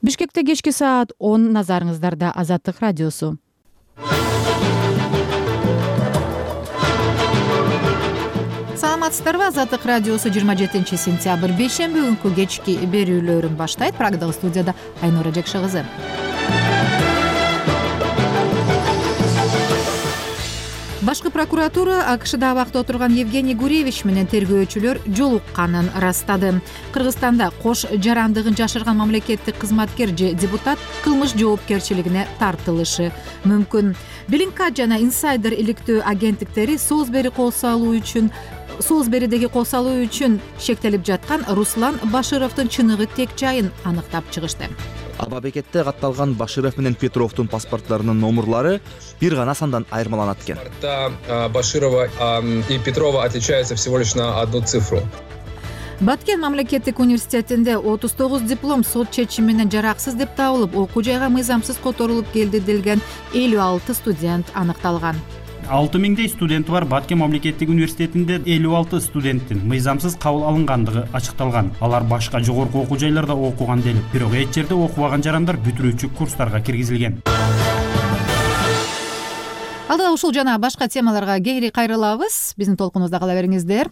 Бишкекте кечки саат 10, назарыңыздарда Азаттык радиосу. Саламатсыздарбы? Азаттык радиосу 27 сентябрь бейшемби күнкү кечки берүүлөрүн баштайт. Прагдагы студияда Айнура Жекше кызы. Башкы прокуратура АКШда абакта отурган Евгений Гуревич менен тергөөчүлөр жолукканын ырастады. Кыргызстанда кош жарандыгын жашырган мамлекеттик кызматкер же депутат кылмыш жоопкерчилигине тартылышы мүмкүн. Блинкат жана инсайдер иликтөө агенттиктери Соозберидеги кол салуу үчүн шектелип жаткан Руслан Башировдун чыныгы тек жайын аныктап чыгышты. Аба бекетте катталган Баширов менен Петровдун паспорттарынын номерлары бир гана сандан айырмаланат экен. Баширова и Петрова отличаются всего лишь на одну цифру. Баткен мамлекеттик университетинде 39 диплом сот чечими менен жараксыз деп табылып, окуу жайга мыйзамсыз которулуп келди делген 56 студент аныкталган. 6000 студенти бар Баткен мамлекеттик университетинде 56 студенттин мыйзамсыз кабыл алынгандыгы ачыкталган. Алар башка жогорку окуу жайларда окуган делип, бирок эч жерде окубаган жарандар бүтүрүүчү курстарга киргизилген. Алдыда ушул жана башка темаларга кээри кайрылабыз. Биздин толкунубузда кала бериңиздер.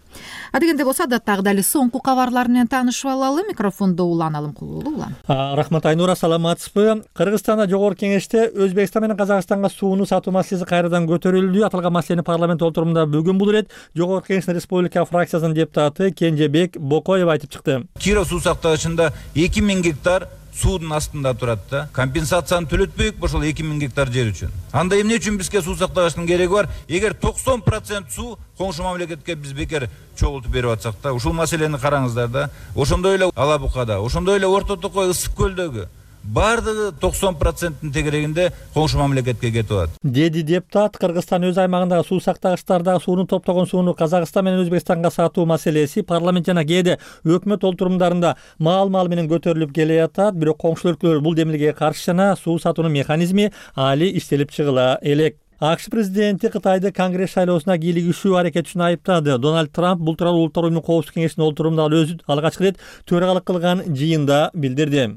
Адегенде болсо адаттагыдай эле соңку кабарлар менен таанышып алалы. Микрофондо Улан Алымкулуу. Рахмат Айнура, саламатсызбы? Кыргызстанда жогорку кеңеште Өзбекстан менен Казакстанга сууну сатуу маселеси кайрадан көтөрүлдү. Аталган маселени парламент отурумунда бүгүн бул ирет жогорку кеңештин республика фракциясынын депутаты Кенжебек Бокоев айтып чыкты. Киров суу сактагычында 2000 гектар суудун астында турат да. Компенсацияны төлөтпөйүк ошол 2000 гектар жер үчүн. Анда эмне үчүн бизге суу сактагычтын кереги бар? Эгер 90% суу коңшу мамлекетке биз бекер чогултуп берип атсак да, ушул маселени караңыздар да. Ошондой эле Ала Букада, ошондой эле Орто Токой, Ысык көлдөгү бардыгы 90%-тин тегерегинде коңшу мамлекетке кетип атат. Деди депутат, Кыргызстан өз аймагындагы суу сактагычтардагы сууну топтогон сууну Казакстан менен Өзбекстанга сатуу маселеси парламент жана кээде өкмөт олтурумдарында маал-маал менен көтөрүлүп келе жатат. Бирок коңшу өлкөлөр бул демилгеге каршы жана суу сатуунун механизми али иштелип чыгыла элек. АКШ президенти Кытайды Конгресс шайлоосуна кийлигишүү аракет үчүн айыптады. Дональд Трамп бул тууралуу Улуттар уюмунун коопсуздук кеңешинин олтурумунда өзү алгачкы ирет төрагалык кылган жыйында билдирди.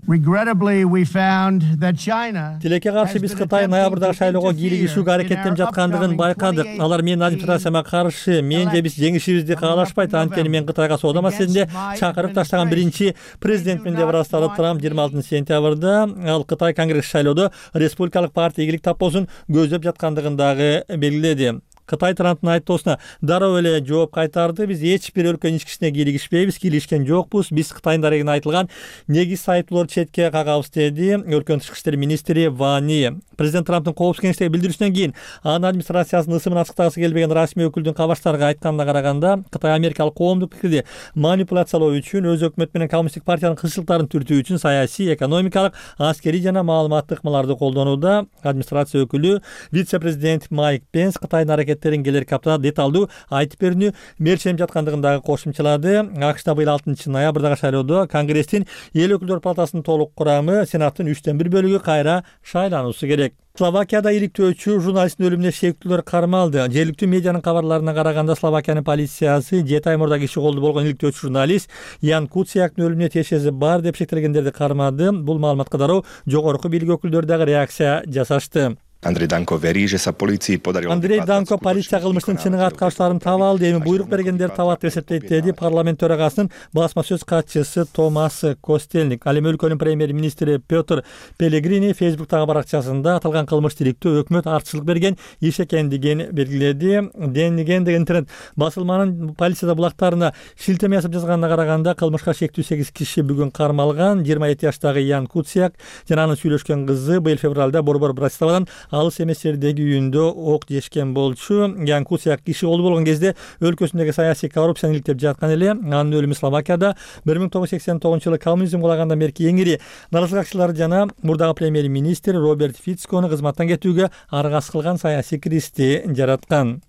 Тилекке каршы биз Кытай ноябрдагы шайлоого кийлигишүүгө аракеттенип жаткандыгын байкадык. Алар менин администрацияма каршы, мен же биз жеңишибизди каалашпайт, анткени мен Кытайга соода маселесинде чакырып таштаган биринчи президентмин деп ырастады Трамп 26 сентябрда. Ал Кытай Конгресс шайлоодо республикалык партия ийгилик таппосун көздөп жаткандыгын дагы белгиледи. Кытай Трамптын айыптоосуна дароо эле жооп кайтарды. Биз эч бир өлкөнүн ички ишине кийлигишпейбиз, кийлигишкен жокпуз. Биз Кытайдын дарегине айтылган негиз айыптоолорду четке кагабыз, деди өлкөнүн тышкы иштер министри Вани. Президент Трамптын коопсуздук кеңештеги билдирүүсүнөн кийин анын администрациясынын ысымын ачыктагысы келбеген расмий өкүлдүн кабарчыларга айтканына караганда, Кытай америкалык коомдук пикирди манипуляциялоо үчүн, өз өкмөтү менен коммунисттик партиянын кызыкчылыктарын түртүү үчүн саясий, экономикалык, аскерий жана маалыматтык ыкмаларды колдонууда. Администрация өкүлү вице-президент Майк Пенс Кытайдын аракеттерин келерки аптада деталдуу айтып берүүнү мерченеп жаткандыгын дагы кошумчалады. АКШда быйыл 6 ноябрдагы шайлоодо Конгресстин эл өкүлдөр палатасынын толук курамы, Сенаттын 3/1 бөлүгү кайра шайлануусу керек. Словакияда иликтөөчү журналисттин өлүмүнө шектүүлөр кармалды. Жергиликтүү медианын кабарларына караганда, Словакиянын полициясы 7 ай мурда киши колду болгон иликтөөчү журналист Ян Куцияктын өлүмүнө тиешеси бар деп шектелгендерди кармады. Бул маалыматка дароо жогорку бийлик өкүлдөрү дагы реакция жасашты. Андрей Данко полиция кылмыштын чыныгы аткаручуларын таба алды, эми буйрук бергендерди табат деп эсептейт, деди парламент төрагасынын басма сөз катчысы Томас Костельник. Ал эми өлкөнүн премьер-министри Петр Пелегрини Фейсбуктагы баракчасында аталган кылмышты иликтөө өкмөт артчылык берген иш экендигин белгиледи. Денниген деген интернет басылманын полиция булактарына шилтеме жасап жазганына караганда, кылмышка шектүү 8 киши бүгүн кармалган. 27 жаштагы Ян Куцияк жана анын сүйлөшкөн кызы быйыл февралда борбор Братиславадан алыс эмес жердеги үйүндө ок жешкен болчу. Ян Куцияк киши колду болгон кезде өлкөсүндөгү саясий коррупцияны иликтеп жаткан эле. Анын өлүмү Словакияда 1989-жылы коммунизм кулагандан берки эң ири наразылыкчылар жана мурдагы премьер-министр Роберт Фицкону кызматтан кетүүгө аргасыз кылган саясий кризисти жараткан.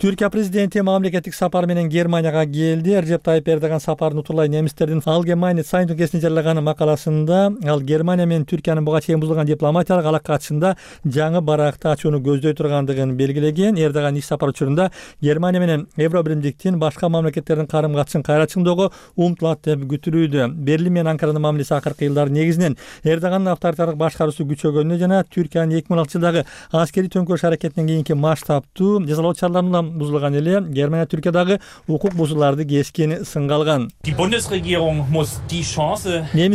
Түркия президенти мамлекеттик сапар менен Германияга келди. Режеп Тайип Эрдоган сапарын утурлай немистердин Allgemeine Zeitung гезитинде жарыяган макаласында ал Германия менен Түркиянын буга чейин бузулган дипломатиялык алака катышында жаңы баракты ачууну көздөй тургандыгын белгилеген. Эрдоган иш сапар учурунда Германия менен Евро биримдиктин башка мамлекеттердин карым-катышын кайра чыңдоого умтулат деп күтүлүүдө. Берлин менен Анкаранын мамилеси акыркы жылдары негизинен Эрдогандын авторитардык башкаруусу күчөгөнүнө жана Түркиянын 2016 жылдагы аскерий төңкөрүш аракетинен кийинки масштабтуу жазалоо чараларына бузулган эле Германия Түркиядагы укук бузууларды кескин сынга алган. Немис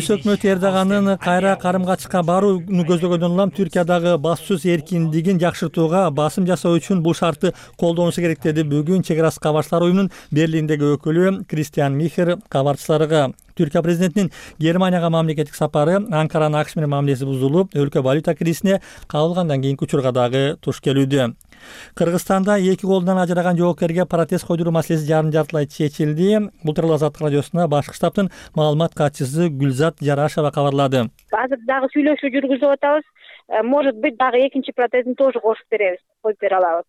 өкмөтү Эрдогандын кайра карым-катышка барууну көздөгөндөн улам Түркиядагы басуу эркиндигин жакшыртууга басым жасоо үчүн бул шартты колдонушу керек деди бүгүн чек ара кабарчылар уюмунун Берлиндеги өкүлү Кристиан Михер кабарчыларга. Түркия президентинин Германияга мамлекеттик сапары Анкаранын АКШ менен мамилеси бузулуп, өлкө валюта кризисине кабылгандан кийинки учурга дагы туш келүүдө. Кыргызстанда эки колунан ажыраган жоокерге протез койдуруу маселеси жарым жартылай чечилди. Бул тууралуу Азаттык радиосуна башкы штабтын маалымат катчысы Гүлзат Жарашева кабарлады. Азыр дагы сүйлөшүү жүргүзүп атабыз. Может быть, дагы экинчи протезин тоже кошуп беребиз, коюп бере алабыз.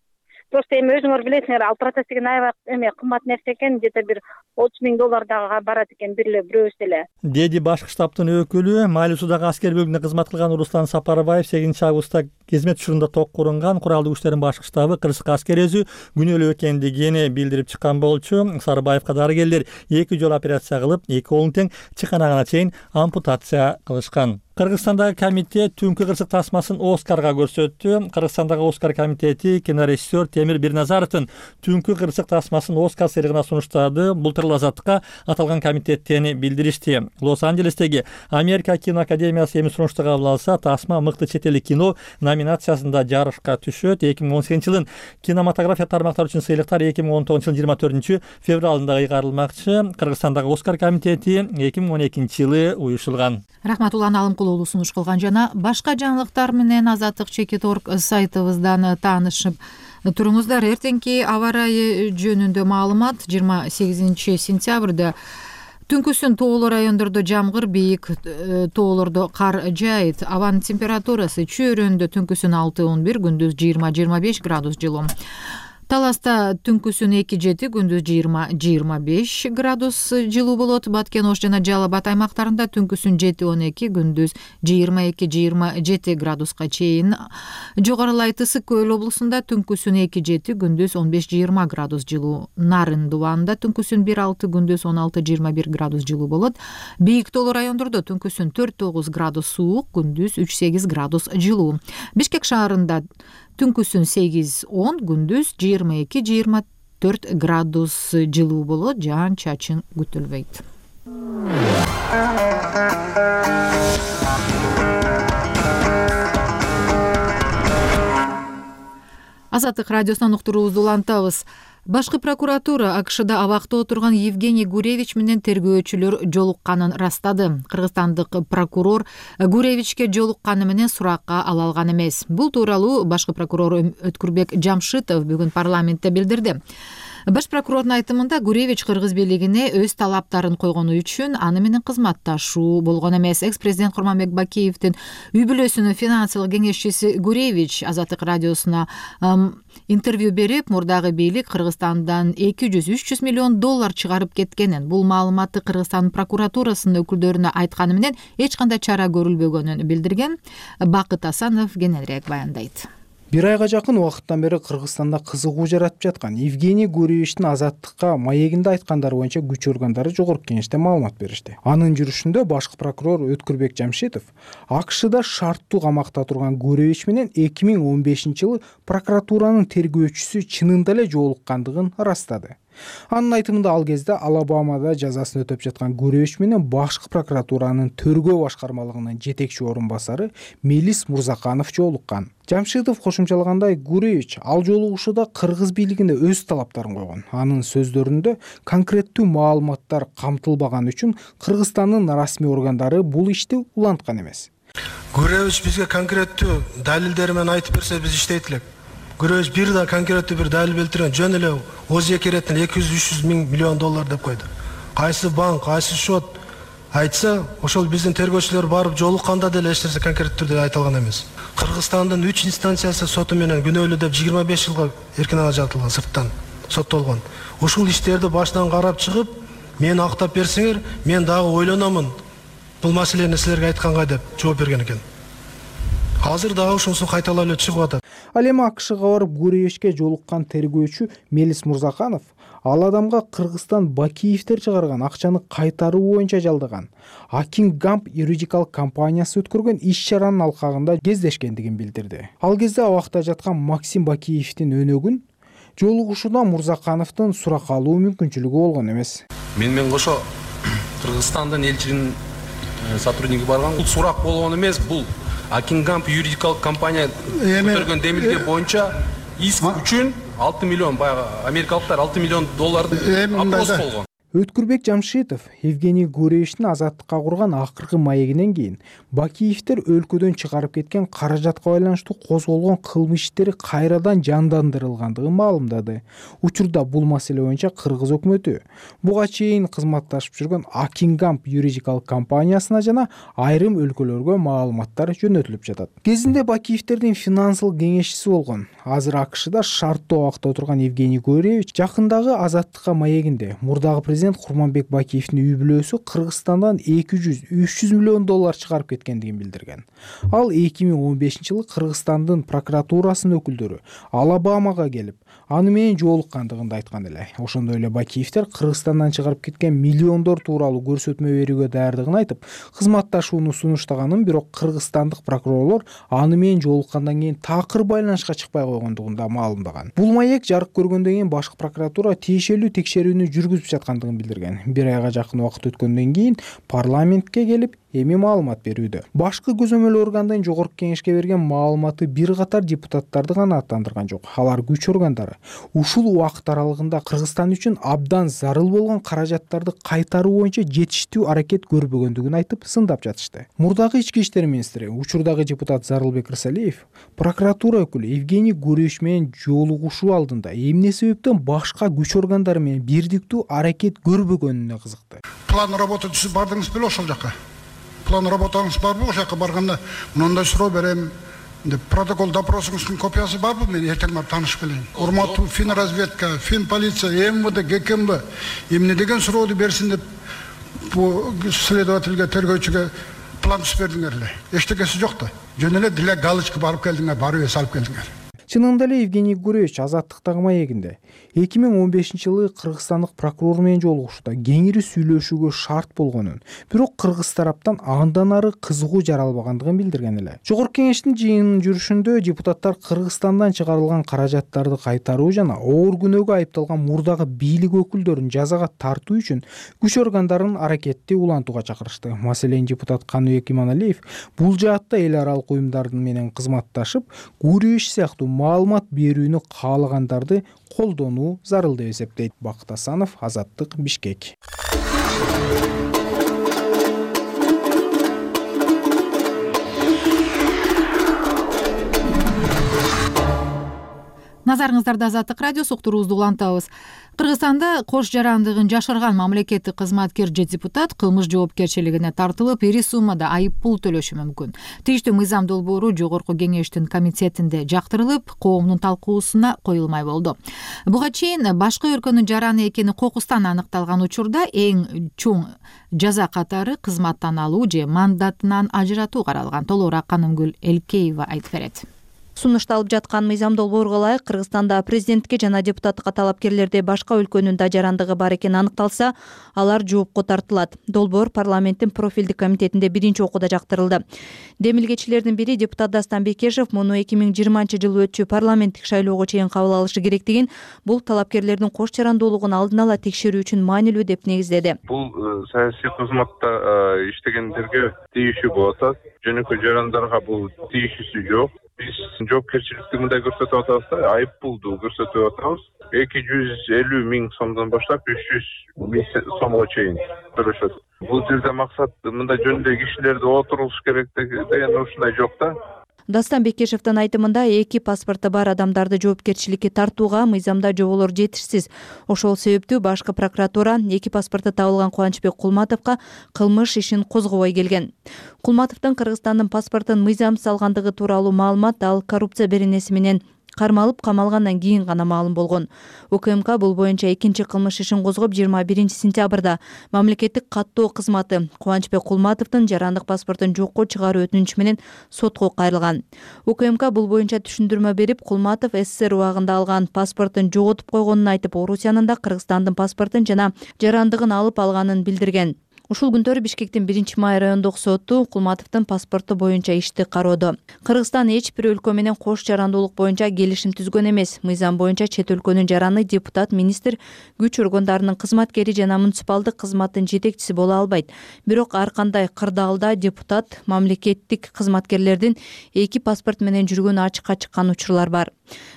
Просто эми өзүңөр билесиңер, ал протез деген аябай кымбат нерсе экен, где-то бир $30,000 дагы барат экен бирөөбүз эле. Деди башкы штабтын өкүлү. Майлуусудагы аскер бөлүгүндө кызмат кылган Руслан Сапарбаев 8-августта кызмет учурунда ток курган куралдуу күчтөрдүн башкы штабы кырсык аскерези күнөөлүү экендигин билдирип чыккан болчу. Сарбаевка дарыгерлер 2 жолу операция кылып, 2 колун тең чыканагына чейин ампутация кылышкан. Кыргызстандагы комитет түнкү кырсык тасмасын Оскарга көрсөттү. Кыргызстандагы Оскар комитети кинорежиссер Темир Бирназаровдун түнкү кырсык тасмасын Оскар сыйлыгына сунуштады. Бул тууралуу Азаттыкка аталган комитеттен билдиришти. Лос-Анджелестеги Америка киноакадемиясы эми сунушту кабыл алса, тасма мыкты чет элдик кино номинациясында жарышка түшөт. 2018 жылдын кинематография тармактары үчүн сыйлыктар 2019 жылдын 24 февралында ыйгарылмакчы. Кыргызстандагы Оскар комитети 2012 жылы уюшулган. Рахматулла Алымкулуулу сунуш кылган жана башка жаңылыктар менен Азаттык.org сайтыбыздан таанышып туруңуздар. Эртеңки аба ырайы жөнүндө маалымат 28 сентябрда түнкүсүн тоолуу райондордо жамгыр, бийик тоолордо кар жаайт. Абанын температурасы чөйрөндө түнкүсүн 6-11, күндүз 20-25 градус жылуу. Таласта түнкүсүн 2-7, күндүз 20-25 градус жылуу болот. Баткен Ош жана Жалал Абад аймактарында түнкүсүн 7-12, күндүз 22-27 градуска чейин жогорулайт. Ысык Көл облусунда түнкүсүн 2-7, күндүз 15-20 градус жылуу. Нарын Дубанда түнкүсүн 1-6, күндүз 16-21 градус жылуу болот. Бийик тоолуу райондордо түнкүсүн 4-9 градус суук, күндүз 3-8 градус жылуу. Бишкек шаарында түнкүсүн 8-10, күндүз 22-24 градус жылуу болот. Жаан чачын күтүлбөйт. Азаттык радиосунан уктуруубузду улантабыз. Башкы прокуратура АКШда абакта отурган Евгений Гуревич менен тергөөчүлөр жолукканын растады. Кыргызстандык прокурор Гуревичке жолукканы менен суракка ала алган эмес. Бул тууралуу башкы прокурор Өткүрбек Жамшитов бүгүн парламентте билдирди. Баш прокурордун айтымында Гуревич кыргыз бийлигине өз талаптарын койгону үчүн аны менен кызматташуу болгон эмес. Экс-президент Курманбек Бакиевдин үй бүлөсүнүн финансылык кеңешчиси Гуревич Азаттык радиосуна интервью берип, мурдагы бийлик Кыргызстандан $200-300 миллион чыгарып кеткенин, бул маалыматты Кыргызстан прокуратурасынын өкүлдөрүнө айтканы менен эч кандай чара көрүлбөгөнүн билдирген. Бакыт Асанов кененирээк баяндайт. Бир айга жакын убакыттан бери Кыргызстанда кызыгуу жаратып жаткан Евгений Гуревичтин Азаттыкка маегинде айткандары боюнча күч органдары жогорку кеңеште маалымат беришти. Анын жүрүшүндө башкы прокурор Өткүрбек Жамшитов АКШда шарттуу камакта турган Гуревич менен 2015 жылы прокуратуранын тергөөчүсү чынында эле жолуккандыгын растады. Анын айтымында ал кезде Алабамада жазасын өтөп жаткан Гуревич менен башкы прокуратуранын тергөө башкармалыгынын жетекчи орун басары Мелис Мурзаканов жолуккан. Жамшитов кошумчалагандай, Гуревич ал жолугушууда кыргыз бийлигине өз талаптарын койгон. Анын сөздөрүндө конкреттүү маалыматтар камтылбаган үчүн Кыргызстандын расмий органдары бул ишти уланткан эмес. Гуревич бизге конкреттүү далилдери менен айтып берсе биз иштейт элек. Гуревич бир да конкреттүү бир далил келтирген, жөн эле Озия кереттен $200-300 миллион деп койду. Кайсы банк, кайсы счет айтса, ошол биздин тергөөчүлөр барып жолукканда деле эч нерсе конкреттүү түрдө айта алган эмес. Кыргызстандын 3 инстанциясы соту менен күнөөлүү деп 25 жылга эркин ажыратылган сырттан. соттолгон. Ушул иштерди башынан карап чыгып, мени актап берсеңер, мен дагы ойлономун. Бул маселени силерге айтканга деп жооп берген экен. Азыр дагы ушунусу кайталап эле чыгып атат. Ал эми АКШга барып Гуревичке жолуккан тергөөчү Мелис Мурзаканов ал адамга Кыргызстан Бакиевдер чыгарган акчаны кайтаруу боюнча жалдаган Акингамп юридикал компаниясы өткөргөн иш-чаранын алкагында кездешкендигин билдирди. Ал кезде абакта жаткан Максим Бакиевдин өнөгүн жолугушуудан Мурзакановдун сурак алуу мүмкүнчүлүгү болгон эмес. Мен кошо Кыргызстандын элчилигинин сотрудниги барган. Бул сурак болгон эмес, бул Акингамп юридикал компания көтөргөн демилге боюнча иск үчүн 6 миллион, баягы америкалыктар 6 миллион долларды опрос болгон. Өткүрбек Жамшитов Евгений Гуревичтин азаттыкка курган акыркы маегинен кийин Бакиевдер өлкөдөн чыгарып кеткен каражатка байланыштуу козголгон кылмыш иштери кайрадан жандандырылгандыгын маалымдады. Учурда бул маселе боюнча Кыргыз өкмөтү буга чейин кызматташып жүргөн Акингамп юридикал компаниясына жана айрым өлкөлөргө маалыматтар жөнөтүлүп жатат. Кезинде Бакиевдердин финансылык кеңешчиси болгон, азыр АКШда шарттуу абакта отурган Евгений Гуревич жакындагы азаттыкка маегинде мурдагы президент Курманбек Бакиевдин үй бүлөсү Кыргызстандан 200-300 миллион доллар чыгарып кеткендигин билдирген. Ал 2015-жылы Кыргызстандын прокуратурасынын өкүлдөрү Алабамага келип, аны менен жолуккандыгын айткан эле. Ошондой эле Бакиевдер Кыргызстандан чыгарып кеткен миллиондор тууралуу көрсөтмө берүүгө даярдыгын айтып, кызматташууну сунуштаганын, бирок кыргызстандык прокурорлор аны менен жолуккандан кийин такыр байланышка чыкпай койгондугун да маалымдаган. Бул маек жарык көргөндөн кийин башкы прокуратура тиешелүү текшерүүнү жүргүзүп жаткандыгын билдирген. Бир айга жакын убакыт өткөндөн кийин парламентке келип эми маалымат берүүдө. Башкы көзөмөл органдын жогорку кеңешке берген маалыматы бир катар депутаттарды гана аттандырган жок. Алар күч органдары ушул убакыт аралыгында Кыргызстан үчүн абдан зарыл болгон каражаттарды кайтаруу боюнча жетиштүү аракет көрбөгөндүгүн айтып сындап жатышты. Мурдагы ички иштер министри, учурдагы депутат Зарылбек Рысалиев прокуратура өкүлү Евгений Гуревич менен жолугушуу алдында эмне себептен башка күч органдары менен бирдиктүү аракет көрбөгөнүнө кызыкты. План работа түзүп бардыңыз беле ошол жака? План работаңыз барбы? Ошол жака барганда мындай суроо берем деп протокол допросуңуздун копиясы барбы? Мен эртең барып таанышып келейин. Урматтуу финразведка, финполиция, МВД, ГКМБ эмне деген сурооду берсин деп бул следовательге, тергөөчүгө план түзүп бердиңер эле. Эчтекеси жок да. Жөн эле деле галочка барып келдиңер, барып эс алып келдиңер. Чынында эле Евгений Гуревич азаттыктагы маегинде 2015-жылы кыргызстандык прокурор менен жолугушууда кеңири сүйлөшүүгө шарт болгонун, бирок кыргыз тараптан андан ары кызыгуу жаралбагандыгын билдирген эле. Жогорку кеңештин жыйынынын жүрүшүндө депутаттар Кыргызстандан чыгарылган каражаттарды кайтаруу жана оор күнөөгө айыпталган мурдагы бийлик өкүлдөрүн жазага тартуу үчүн күч органдарын аракетти улантууга чакырышты. Маселен, депутат Каныбек Иманалиев бул жаатта эл аралык уюмдардын менен кызматташып, Гуревич сыяктуу маалымат берүүнү каалагандарды колдонуу зарыл деп эсептейт. Бакыт Асанов, Азаттык, Бишкек. Назарыңыздарда Азаттык радиосу, уктуруубузду улантабыз. Кыргызстанда кош жарандыгын жашырган мамлекеттик кызматкер же депутат кылмыш жоопкерчилигине тартылып, ири суммада айып пул төлөшү мүмкүн. Тийиштүү мыйзам долбоору жогорку кеңештин комитетинде жактырылып, коомдун талкуусуна коюлмай болду. Буга чейин башка өлкөнүн жараны экени кокустан аныкталган учурда эң чоң жаза катары кызматтан алуу же мандатынан ажыратуу каралган. Толугураак Канымгүл Элкеева айтып берет. Сунушталып жаткан мыйзам долбоорго ылайык Кыргызстанда президентке жана депутаттыкка талапкерлерде башка өлкөнүн да жарандыгы бар экени аныкталса, алар жоопко тартылат. Долбоор парламенттин профилдик комитетинде биринчи окууда жактырылды. Демилгечилердин бири депутат Дастан Бекешев муну 2020-жылы өтчү парламенттик шайлоого чейин кабыл алышы керектигин, бул талапкерлердин кош жарандуулугун алдын ала текшерүү үчүн маанилүү деп негиздеди. Бул саясий кызматта иштегендерге тийишүү болуп атат. Жөнөкөй жарандарга бул тийишүүсү жок. Биз жоопкерчиликти мындай көрсөтүп атабыз да, айып пулду көрсөтүп атабыз. 250 миң сомдон баштап 300 миң сомго чейин төлөшөт. Бул жерде максат мындай жөндөй кишилерди отурулуш керек деген ушундай жок да. Дастан Бекешевдин айтымында эки паспорты бар адамдарды жоопкерчиликке тартууга мыйзамда жоболор жетишсиз. Ошол себептүү башкы прокуратура эки паспорты табылган Кубанычбек Кулматовго кылмыш ишин козгобой келген. Кулматовдун Кыргызстандын паспортун мыйзамсыз алгандыгы тууралуу маалымат ал коррупция беренеси менен кармалып камалгандан кийин гана маалым болгон. УКМК бул боюнча экинчи кылмыш ишин козгоп 21 сентябрда мамлекеттик каттоо кызматы Кубанычбек Кулматовдун жарандык паспортун жокко чыгаруу өтүнүчү менен сотко кайрылган. УКМК бул боюнча түшүндүрмө берип, Кулматов СССР убагында алган паспортун жоготуп койгонун айтып, Орусиянын да Кыргызстандын паспортун жана жарандыгын алып алганын билдирген. Ушул күндөрү Бишкектин 1-май райондук соту Кулматовдун паспорту боюнча ишти кароодо. Кыргызстан эч бир өлкө менен кош жарандуулук боюнча келишим түзгөн эмес. Мыйзам боюнча чет өлкөнүн жараны депутат, министр, күч органдарынын кызматкери жана муниципалдык кызматтын жетекчиси боло албайт. Бирок ар кандай кырдаалда депутат, мамлекеттик кызматкерлердин эки паспорт менен жүргөнү ачыкка чыккан учурлар бар.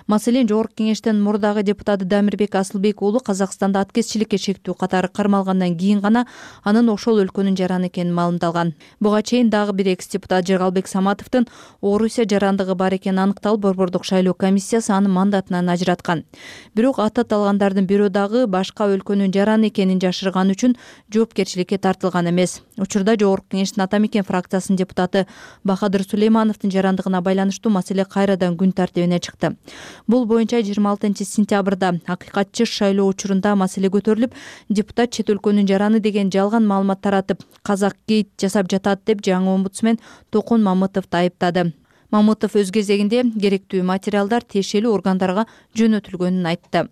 Маселен, Жогорку Кеңештин мурдагы депутаты Дамирбек Асылбек уулу Казакстанда аткезчиликке шектүү катары кармалгандан кийин гана анын ошол өлкөнүн жараны экени маалымдалган. Буга чейин дагы бир экс-депутат Жыргалбек Саматовдун Орусия жарандыгы бар экени аныкталып, Борбордук шайлоо комиссиясы аны мандатынан ажыраткан. Бирок аталгандардын бирөө дагы башка өлкөнүн жараны экенин жашырган үчүн жоопкерчиликке тартылган эмес. Учурда Жогорку Кеңештин Ата Мекен фракциясынын депутаты Бахадыр Сулеймановдун жарандыгына байланыштуу маселе кайрадан күн тартибине чыкты. Бул боюнча 26 сентябрда Акыйкатчы шайлоо учурунда маселе көтөрүлүп, депутат чет өлкөнүн жараны деген жалган маалымат таратып, казак гейт жасап жатат деп жаңы омбудсмен Токун Мамытовду айыптады. Мамытов өз кезегинде керектүү материалдар тиешелүү органдарга жөнөтүлгөнүн айтты.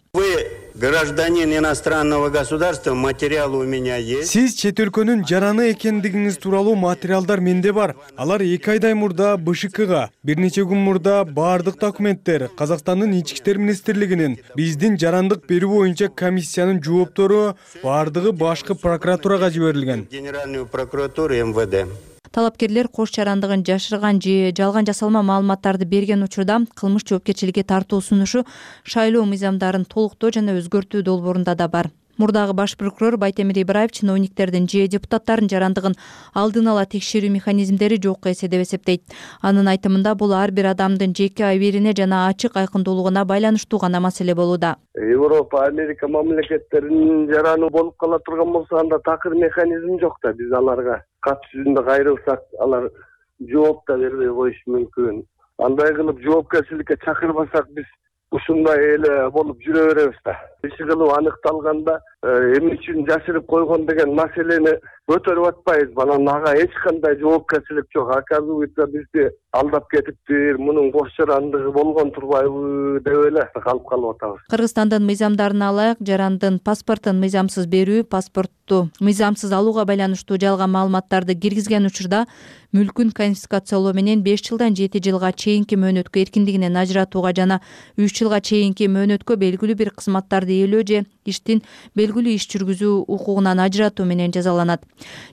Гражданин иностранного государства, материалы у меня есть. Сиз чет өлкөнүн жараны экендигиңиз тууралуу материалдар менде бар. Алар 2 айдай мурда БШКга, бир нече күн мурда баардык документтер Казакстандын Ички иштер министрлигинин, биздин жарандык берүү боюнча комиссиянын жооптору баардыгы башкы прокуратурага жиберилген. Генеральную прокуратуру МВД. Талапкерлер кош жарандыгын жашырган же жалган жасалма маалыматтарды берген учурда кылмыш жоопкерчиликке тартуу сунушу шайлоо мыйзамдарын толуктоо жана өзгөртүү долбоорунда да бар. Мурдагы баш прокурор Байтемир Ибраев чиновниктердин же депутаттардын жарандыгын алдын ала текшерүү механизмдери жокко эсе деп эсептейт. Анын айтымында бул ар бир адамдын жеке абийирине жана ачык айкындуулугуна байланыштуу гана маселе болууда. Европа, Америка мамлекеттеринин жараны болуп кала турган болсо, анда такыр механизм жок да. Биз аларга кат жүзүндө кайрылсак, алар жооп да бербей коюшу мүмкүн. Андай кылып жоопкерчиликке чакырбасак, биз ушундай эле болуп жүрө беребиз да. Иши кылып аныкталганда эмне үчүн жашырып койгон деген маселени көтөрүп атпайбыз. Анан ага эч кандай жоопкерчилик жок. Оказывается, бизди алдап кетиптир, мунун кош жарандыгы болгон турбайбы деп эле калып атабыз. Кыргызстандын мыйзамдарына ылайык жарандын паспортун мыйзамсыз берүү, паспортту мыйзамсыз алууга байланыштуу жалган маалыматтарды киргизген учурда мүлкүн конфискациялоо менен 5 жылдан 7 жылга чейинки мөөнөткө эркиндигинен ажыратууга жана 3 жылга чейинки мөөнөткө белгилүү бир кызматтарды ээлөө же иштин белгилүү иш жүргүзүү укугунан ажыратуу менен жазаланат.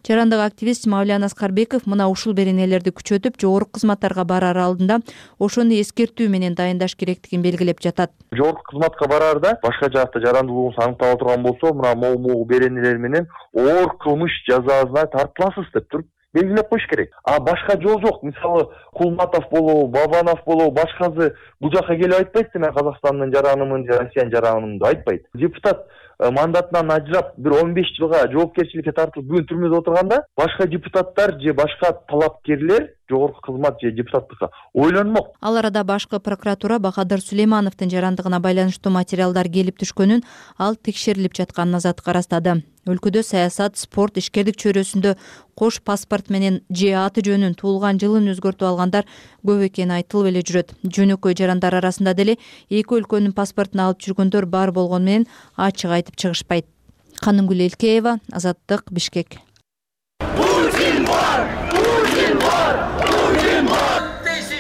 Жарандык активист Мавлян Аскарбеков мына ушул беренелерди күчөтүп, жогорку кызматтарга барар алдында ошону эскертүү менен дайындаш керектигин белгилеп жатат. Жогорку кызматка бараарда башка жакта жарандуулугуңуз аныктала турган болсо, мына могу беренелер менен оор кылмыш жазасына тартыласыз деп туруп белгилеп коюш керек. А башка жол жок. Мисалы, Кулматов болобу, Бабанов болобу, башкасы бул жака келип айтпайт, мен Казакстандын жаранымын, Россиянын жаранымын деп айтпайт. Депутат мандатынан ажырап, бир 15 жылга жоопкерчиликке тартылып, бүгүн түрмөдө отурганда, башка депутаттар же башка талапкерлер жогорку кызмат же депутаттыкка ойлонмок. Ал арада башкы прокуратура Бахадыр Сулеймановдун жарандыгына байланыштуу материалдар келип түшкөнүн, ал текшерилип жатканын азаттыкка ырастады. Өлкөдө саясат, спорт, ишкердик чөйрөсүндө кош паспорт менен же аты жөнүн, туулган жылын өзгөртүп алгандар көп экени айтылып эле жүрөт. Жөнөкөй жарандар арасында деле эки өлкөнүн паспортун алып жүргөндөр бар болгону менен ачык айтып чыгышпайт. Канымгүл Элкеева, Азаттык, Бишкек.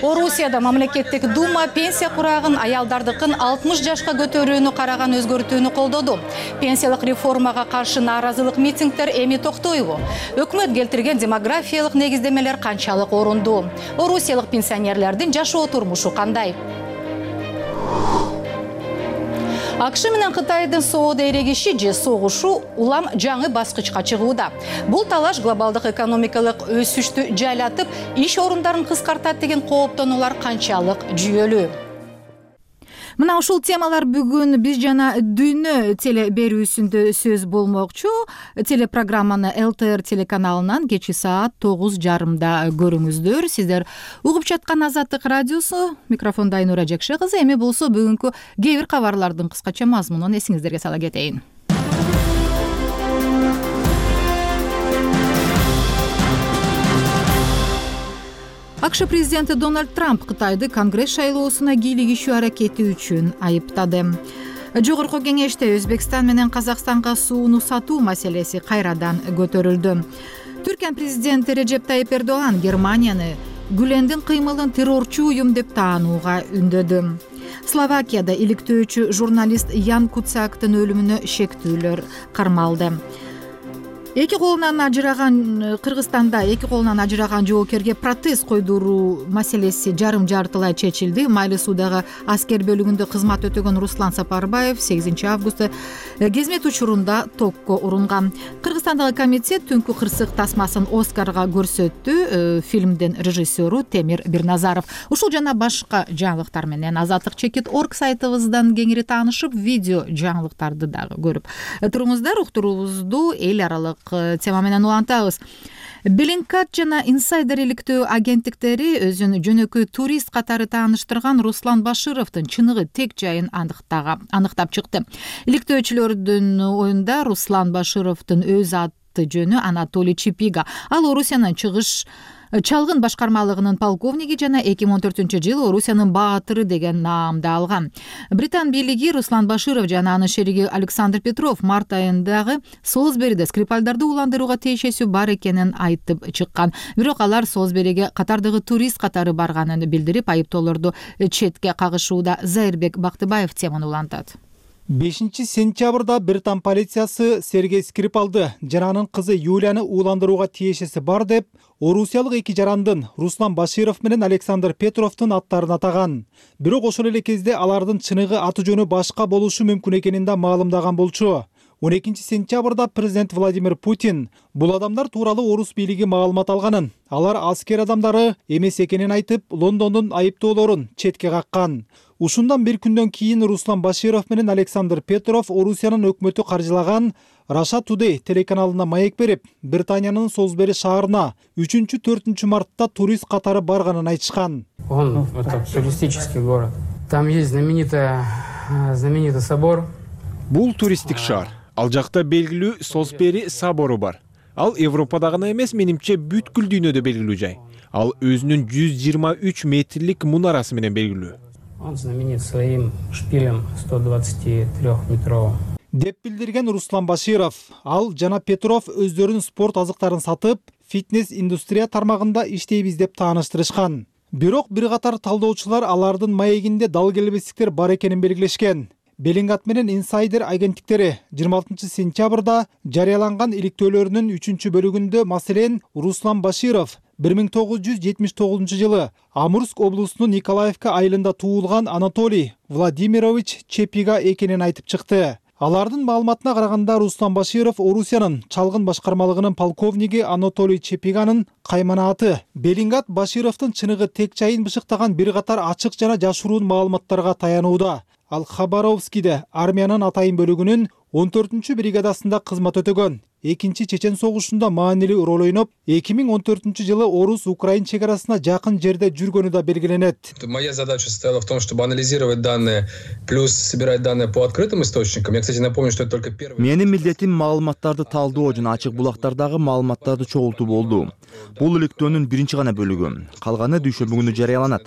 Орусияда мамлекеттик дума пенсия курагын аялдардыкын 60 жашка көтөрүүнү караган өзгөртүүнү колдоду. Пенсиялык реформага каршы нааразылык митингдер эми токтойбу? Өкмөт келтирген демографиялык негиздемелер канчалык орундуу? Орусиялык пенсионерлердин жашоо турмушу кандай? АКШ менен Кытайдын соода эрегиши же согушу улам жаңы баскычка чыгууда. Бул талаш глобалдык экономикалык өсүштү жайлатып, иш орундарын кыскартат деген кооптонуулар канчалык жүйөлүү? Мына ушул темалар бүгүн биз жана дүйнө теле берүүсүндө сөз болмокчу. Телепрограмманы ЛТР телеканалынан кечки саат 9:30 көрүңүздөр. Сиздер угуп жаткан Азаттык радиосу, микрофондо Айнура Жекше кызы. Эми болсо бүгүнкү кээ бир кабарлардын кыскача мазмунун эсиңиздерге сала кетейин. АКШ президенти Дональд Трамп Кытайды Конгресс шайлоосуна кийлигишүү аракети үчүн айыптады. Жогорку кеңеште Өзбекстан менен Казакстанга сууну сатуу маселеси кайрадан көтөрүлдү. Түркия президенти Режеп Тайип Эрдоган Германияны Гүлендин кыймылын террорчу уюм деп таанууга үндөдү. Словакияда иликтөөчү журналист Ян Куцяктын өлүмүнө шектүүлөр кармалды. Кыргызстанда эки колунан ажыраган жоокерге протез койдуруу маселеси жарым жартылай чечилди. Майли суудагы аскер бөлүгүндө кызмат өтөгөн Руслан Сапарбаев 8 августта кезмет учурунда токко урунган. Кыргызстандагы комитет Түнкү кырсык тасмасын Оскарга көрсөттү. Фильмдин режиссеру Темир Бирназаров. Ушул жана башка жаңылыктар менен azatlik.org сайтыбыздан кеңири таанышып, видео жаңылыктарды дагы көрүп туруңуздар. Уктуруубузду эл аралык тема менен улантабыз. Bellingcat жана инсайдер иликтөө агенттиктери өзүн жөнөкөй турист катары тааныштырган Руслан Башировдун чыныгы тек жайын аныктап чыкты. Иликтөөчүлөрдүн оюнда Руслан Башировдун өз аты жөнү Анатолий Чепига. Ал Орусиянын чалгын башкармалыгынын полковниги жана 2014-жылы Орусиянын баатыры деген наамды алган. Британ бийлиги Руслан Баширов жана анын шериги Александр Петров март айындагы Солсбериде Скрипальдарды уландырууга тиешеси бар экенин айтып чыккан. Бирок алар Солсбериге катардагы турист катары барганын билдирип, айыптоолорду четке кагышууда. Зайырбек Бактыбаев теманы улантат. 5-сентябрда Британ полициясы Сергей Скрипалды жана анын кызы Юлияны уландырууга тиешеси бар деп, орусиялык эки жарандын Руслан Баширов менен Александр Петровдун аттарын атаган. Бирок ошол эле кезде алардын чыныгы аты жөнү башка болушу мүмкүн экенин да маалымдаган болчу. 12-сентябрда президент Владимир Путин бул адамдар тууралуу орус бийлиги маалымат алганын, алар аскер адамдары эмес экенин айтып, Лондондун айыптоолорун четке каккан. Ушундан бир күндөн кийин Руслан Баширов менен Александр Петров Орусиянын өкмөтү каржылаган Russia Today телеканалына маек берип, Британиянын Солсбери шаарына 3-4 мартта турист катары барганын айтышкан. Это туристический город. Там есть знаменитый собор. Бул туристтик шаар. Ал жакта белгилүү Солсбери собору бар. Ал Европада гана эмес, менимче бүткүл дүйнөдө белгилүү жай. Ал өзүнүн 123 метрлик мунарасы менен белгилүү. Он знаменит своим шпилем 123-метровым. Деп билдирген Руслан Баширов. Ал жана Петров өздөрүнүн спорт азыктарын сатып, фитнес индустрия тармагында иштейбиз деп тааныштырышкан. Бирок бир катар талдоочулар алардын маегинде дал келбестиктер бар экенин белгилешкен. Bellingcat менен инсайдер агенттиктери 26-сентябрда жарыяланган иликтөөлөрүнүн 3-бөлүгүндө, маселен, Руслан Баширов 1979-жылы Амурск облусунун Николаевка айылында туулган Анатолий Владимирович Чепига экенин айтып чыкты. Алардын маалыматына караганда, Руслан Баширов Орусиянын чалгын башкармалыгынын полковниги Анатолий Чепиганын каймана аты. Bellingcat Башировдун чыныгы тек жайын бышыктаган бир катар ачык жана жашыруун маалыматтарга таянууда. Ал Хабаровскиде армиянын атайын бөлүгүнүн 14-бригадасында кызмат өтөгөн. Экинчи Чечен согушунда маанилүү роль ойноп, 2014-жылы Орус-Украин чегарасына жакын жерде жүргөнү да белгиленет. Моя задача состояла в том, чтобы анализировать данные, плюс собирать данные по открытым источникам. Я, кстати, напомню, что это только первый. Менин милдетим маалыматтарды талдоо жана ачык булактардагы маалыматтарды чогултуу болду. Бул иликтөөнүн биринчи гана бөлүгү. Калганы дүйшөмбү күнү жарыяланат.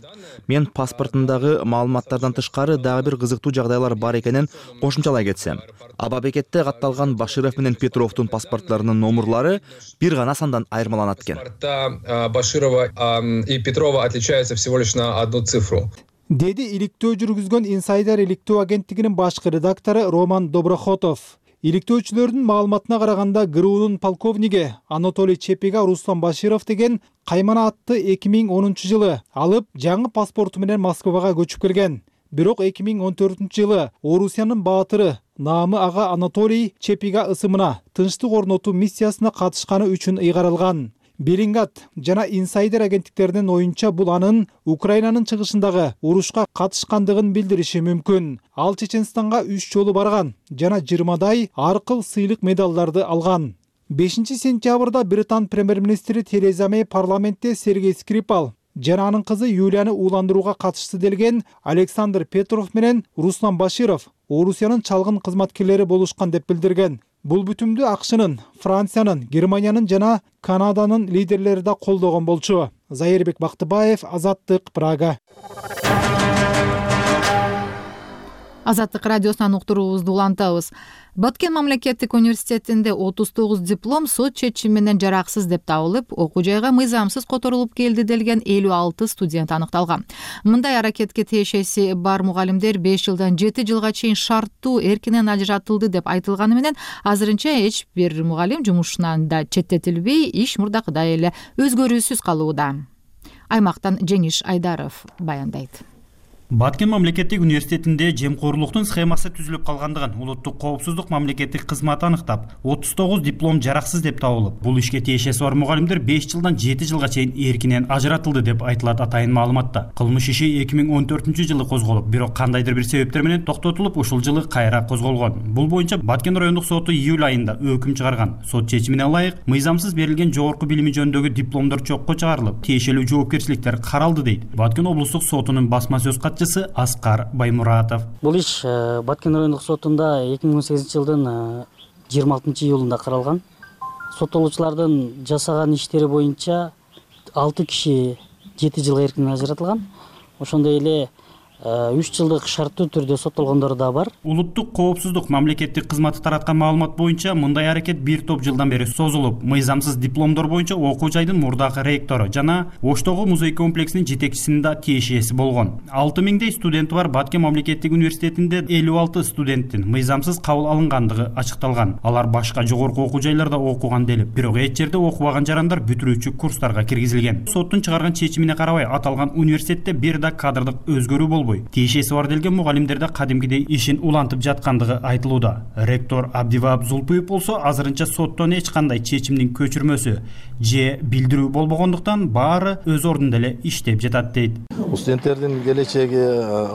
Мен паспортундагы маалыматтардан тышкары дагы бир кызыктуу жагдайлар бар экенин кошумчалай кетсем. Абабекетте катталган Баширов менен Петровдун паспортларынын номерлары бир гана сандан айырмаланат экен. Баширова и Петрова отличаются всего лишь на одну цифру. Деди иликтөө жүргүзгөн инсайдер иликтөө агенттигинин башкы редактору Роман Доброхотов. Иликтөөчүлөрдүн маалыматына караганда, ГРУнун полковниги Анатолий Чепига Руслан Баширов деген каймана атты 2010-жылы алып, жаңы паспорту менен Москвага көчүп келген. Бирок 2014-жылы Орусиянын баатыры наамы ага Анатолий Чепига ысымына тынчтык орнотуу миссиясына катышканы үчүн ыйгарылган. Берингат жана Инсайдер агенттиктеринин оюнча бул анын Украинанын чыгышындагы урушка катышкандыгын билдириши мүмкүн. Ал Чеченстанга 3 жолу барган жана 20дай ар кыл сыйлык медалдарды алган. 5-сентябрда Британ премьер-министри Тереза Мэй парламентте Сергей Скрипал жана анын кызы Юлияны ууландырууга катышты делген Александр Петров менен Руслан Баширов Орусиянын чалгын кызматкерлери болушкан деп билдирген. Бул бүтүмдү АКШнын, Франциянын, Германиянын жана Канаданын лидерлери да колдогон болчу. Зайырбек Бактыбаев, Азаттык, Прага. Азаттык радиосунан уктуруубузду улантабыз. Баткен мамлекеттик университетинде 39 диплом сот чечими менен жараксыз деп табылып, окуу жайга мыйзамсыз которулуп келди делген 56 студент аныкталган. Мындай аракетке тиешеси бар мугалимдер 5 жылдан 7 жылга чейин шарттуу эркинен ажыратылды деп айтылганы менен азырынча эч бир мугалим жумушунан да четтетилбей, иш мурдакыдай эле өзгөрүүсүз калууда. Аймактан Жеңиш Айдаров баяндайт. Баткен мамлекеттик университетинде жемкорлуктун схемасы түзүлүп калгандыгын улуттук коопсуздук мамлекеттик кызматы аныктап, 39 диплом жараксыз деп табылып, бул ишке тиешеси бар мугалимдер 5 жылдан 7 жылга чейин эркинен ажыратылды деп айтылат атайын маалыматта. Кылмыш иши 2014-жылы козголуп, бирок кандайдыр бир себептер менен токтотулуп, ушул жылы кайра козголгон. Бул боюнча Баткен райондук соту июль айында өкүм чыгарган. Сот чечимине ылайык, мыйзамсыз берилген жогорку билими жөнүндөгү дипломдор чокко чыгарылып, тиешелүү жоопкерчиликтер каралды дейт Баткен облустук сотунун басма сөз Аскар Баймуратов. Бул иш Баткен райондук сотунда 2018-жылдын 26-июлунда каралган. Соттолуучулардын жасаган иштери боюнча 6 киши 7 жылга эркинен ажыратылган. Ошондой эле 3 жылдык шарттуу түрдө соттолгондор да бар. Улуттук коопсуздук мамлекеттик кызматы тараткан маалымат боюнча мындай аракет бир топ жылдан бери созулуп, мыйзамсыз дипломдор боюнча окуу жайдын мурдагы ректору жана Оштогу музей комплексинин жетекчисинин да тиешеси болгон. 6000дей студенти бар Баткен мамлекеттик университетинде 56 студенттин мыйзамсыз кабыл алынгандыгы ачыкталган. Алар башка жогорку окуу жайларда окуган делип, бирок эч жерде окубаган жарандар бүтүрүүчү курстарга киргизилген. Соттун чыгарган чечимине карабай, аталган университетте бир да кадрдык өзгөрүү болбой, тиешеси бар делген мугалимдерде кадимкидей ишин улантып жаткандыгы айтылууда. Ректор Абдивап Зулпуев болсо, азырынча соттон эч кандай чечимдин көчүрмөсү же билдирүү болбогондуктан баары өз ордунда эле иштеп жатат дейт. Студенттердин келечеги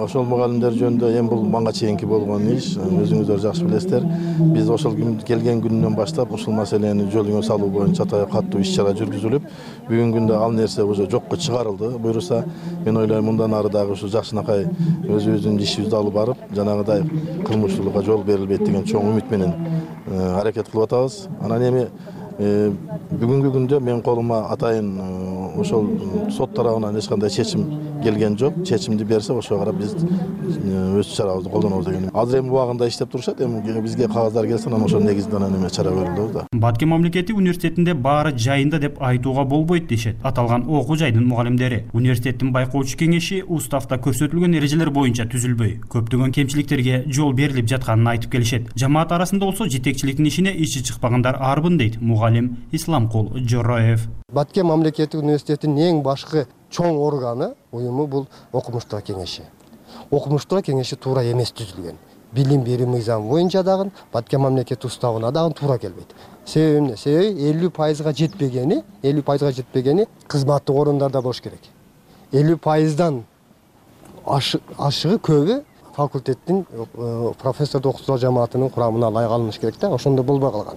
ошол мугалимдер жөнүндө эми бул мага чейинки болгон иш, өзүңүздөр жакшы билесиздер. Биз ошол келген күнүнөн баштап ушул маселени жолуңа салуу боюнча катуу иш-чара жүргүзүлүп, бүгүнкү күндө ал нерсе уже жокко чыгарылды. Буюрса, мен ойлойм мындан ары дагы ушу жакшынакай өзүбүздүн ишибизди алып барып, жанагыдай кылмыштуулукка жол берилбейт деген чоң үмүт менен аракет кылып атабыз. Анан эми бүгүнкү күндө менин колума атайын ошол сот тарабынан эч кандай чечим келген жок. Чечимди берсе, ошого карап биз өз чарабызды колдонобуз деген. Азыр эми убагында иштеп турушат. Эми бизге кагаздар келсе, анан ошол негизинде эме чара көрүлөбүз да. Баткен мамлекеттик университетинде баары жайында деп айтууга болбойт дешет аталган окуу жайдын мугалимдери. Университеттин байкоочу кеңеши уставда көрсөтүлгөн эрежелер боюнча түзүлбөй, көптөгөн кемчиликтерге жол берилип жатканын айтып келишет. Жамаат арасында болсо жетекчиликтин ишине ичи чыкпагандар арбын дейт мугалим Исламкул Жороев. Баткен мамлекеттик университетинин эң башкы чоң органы, уюму бул окумуштар кеңеши. Окумуштар кеңеши туура эмес түзүлгөн. Билим берүү мыйзамы боюнча дагы Баткен мамлекеттик уставына дагы туура келбейт. Себеби эмне? Себеби 50%га жетпегени кызматтык орундарда болуш керек. 50%дан ашыгы көбү факультеттин профессор окуучулар жамаатынын курамына ылайык алыныш керек да, ошондо болбой калган.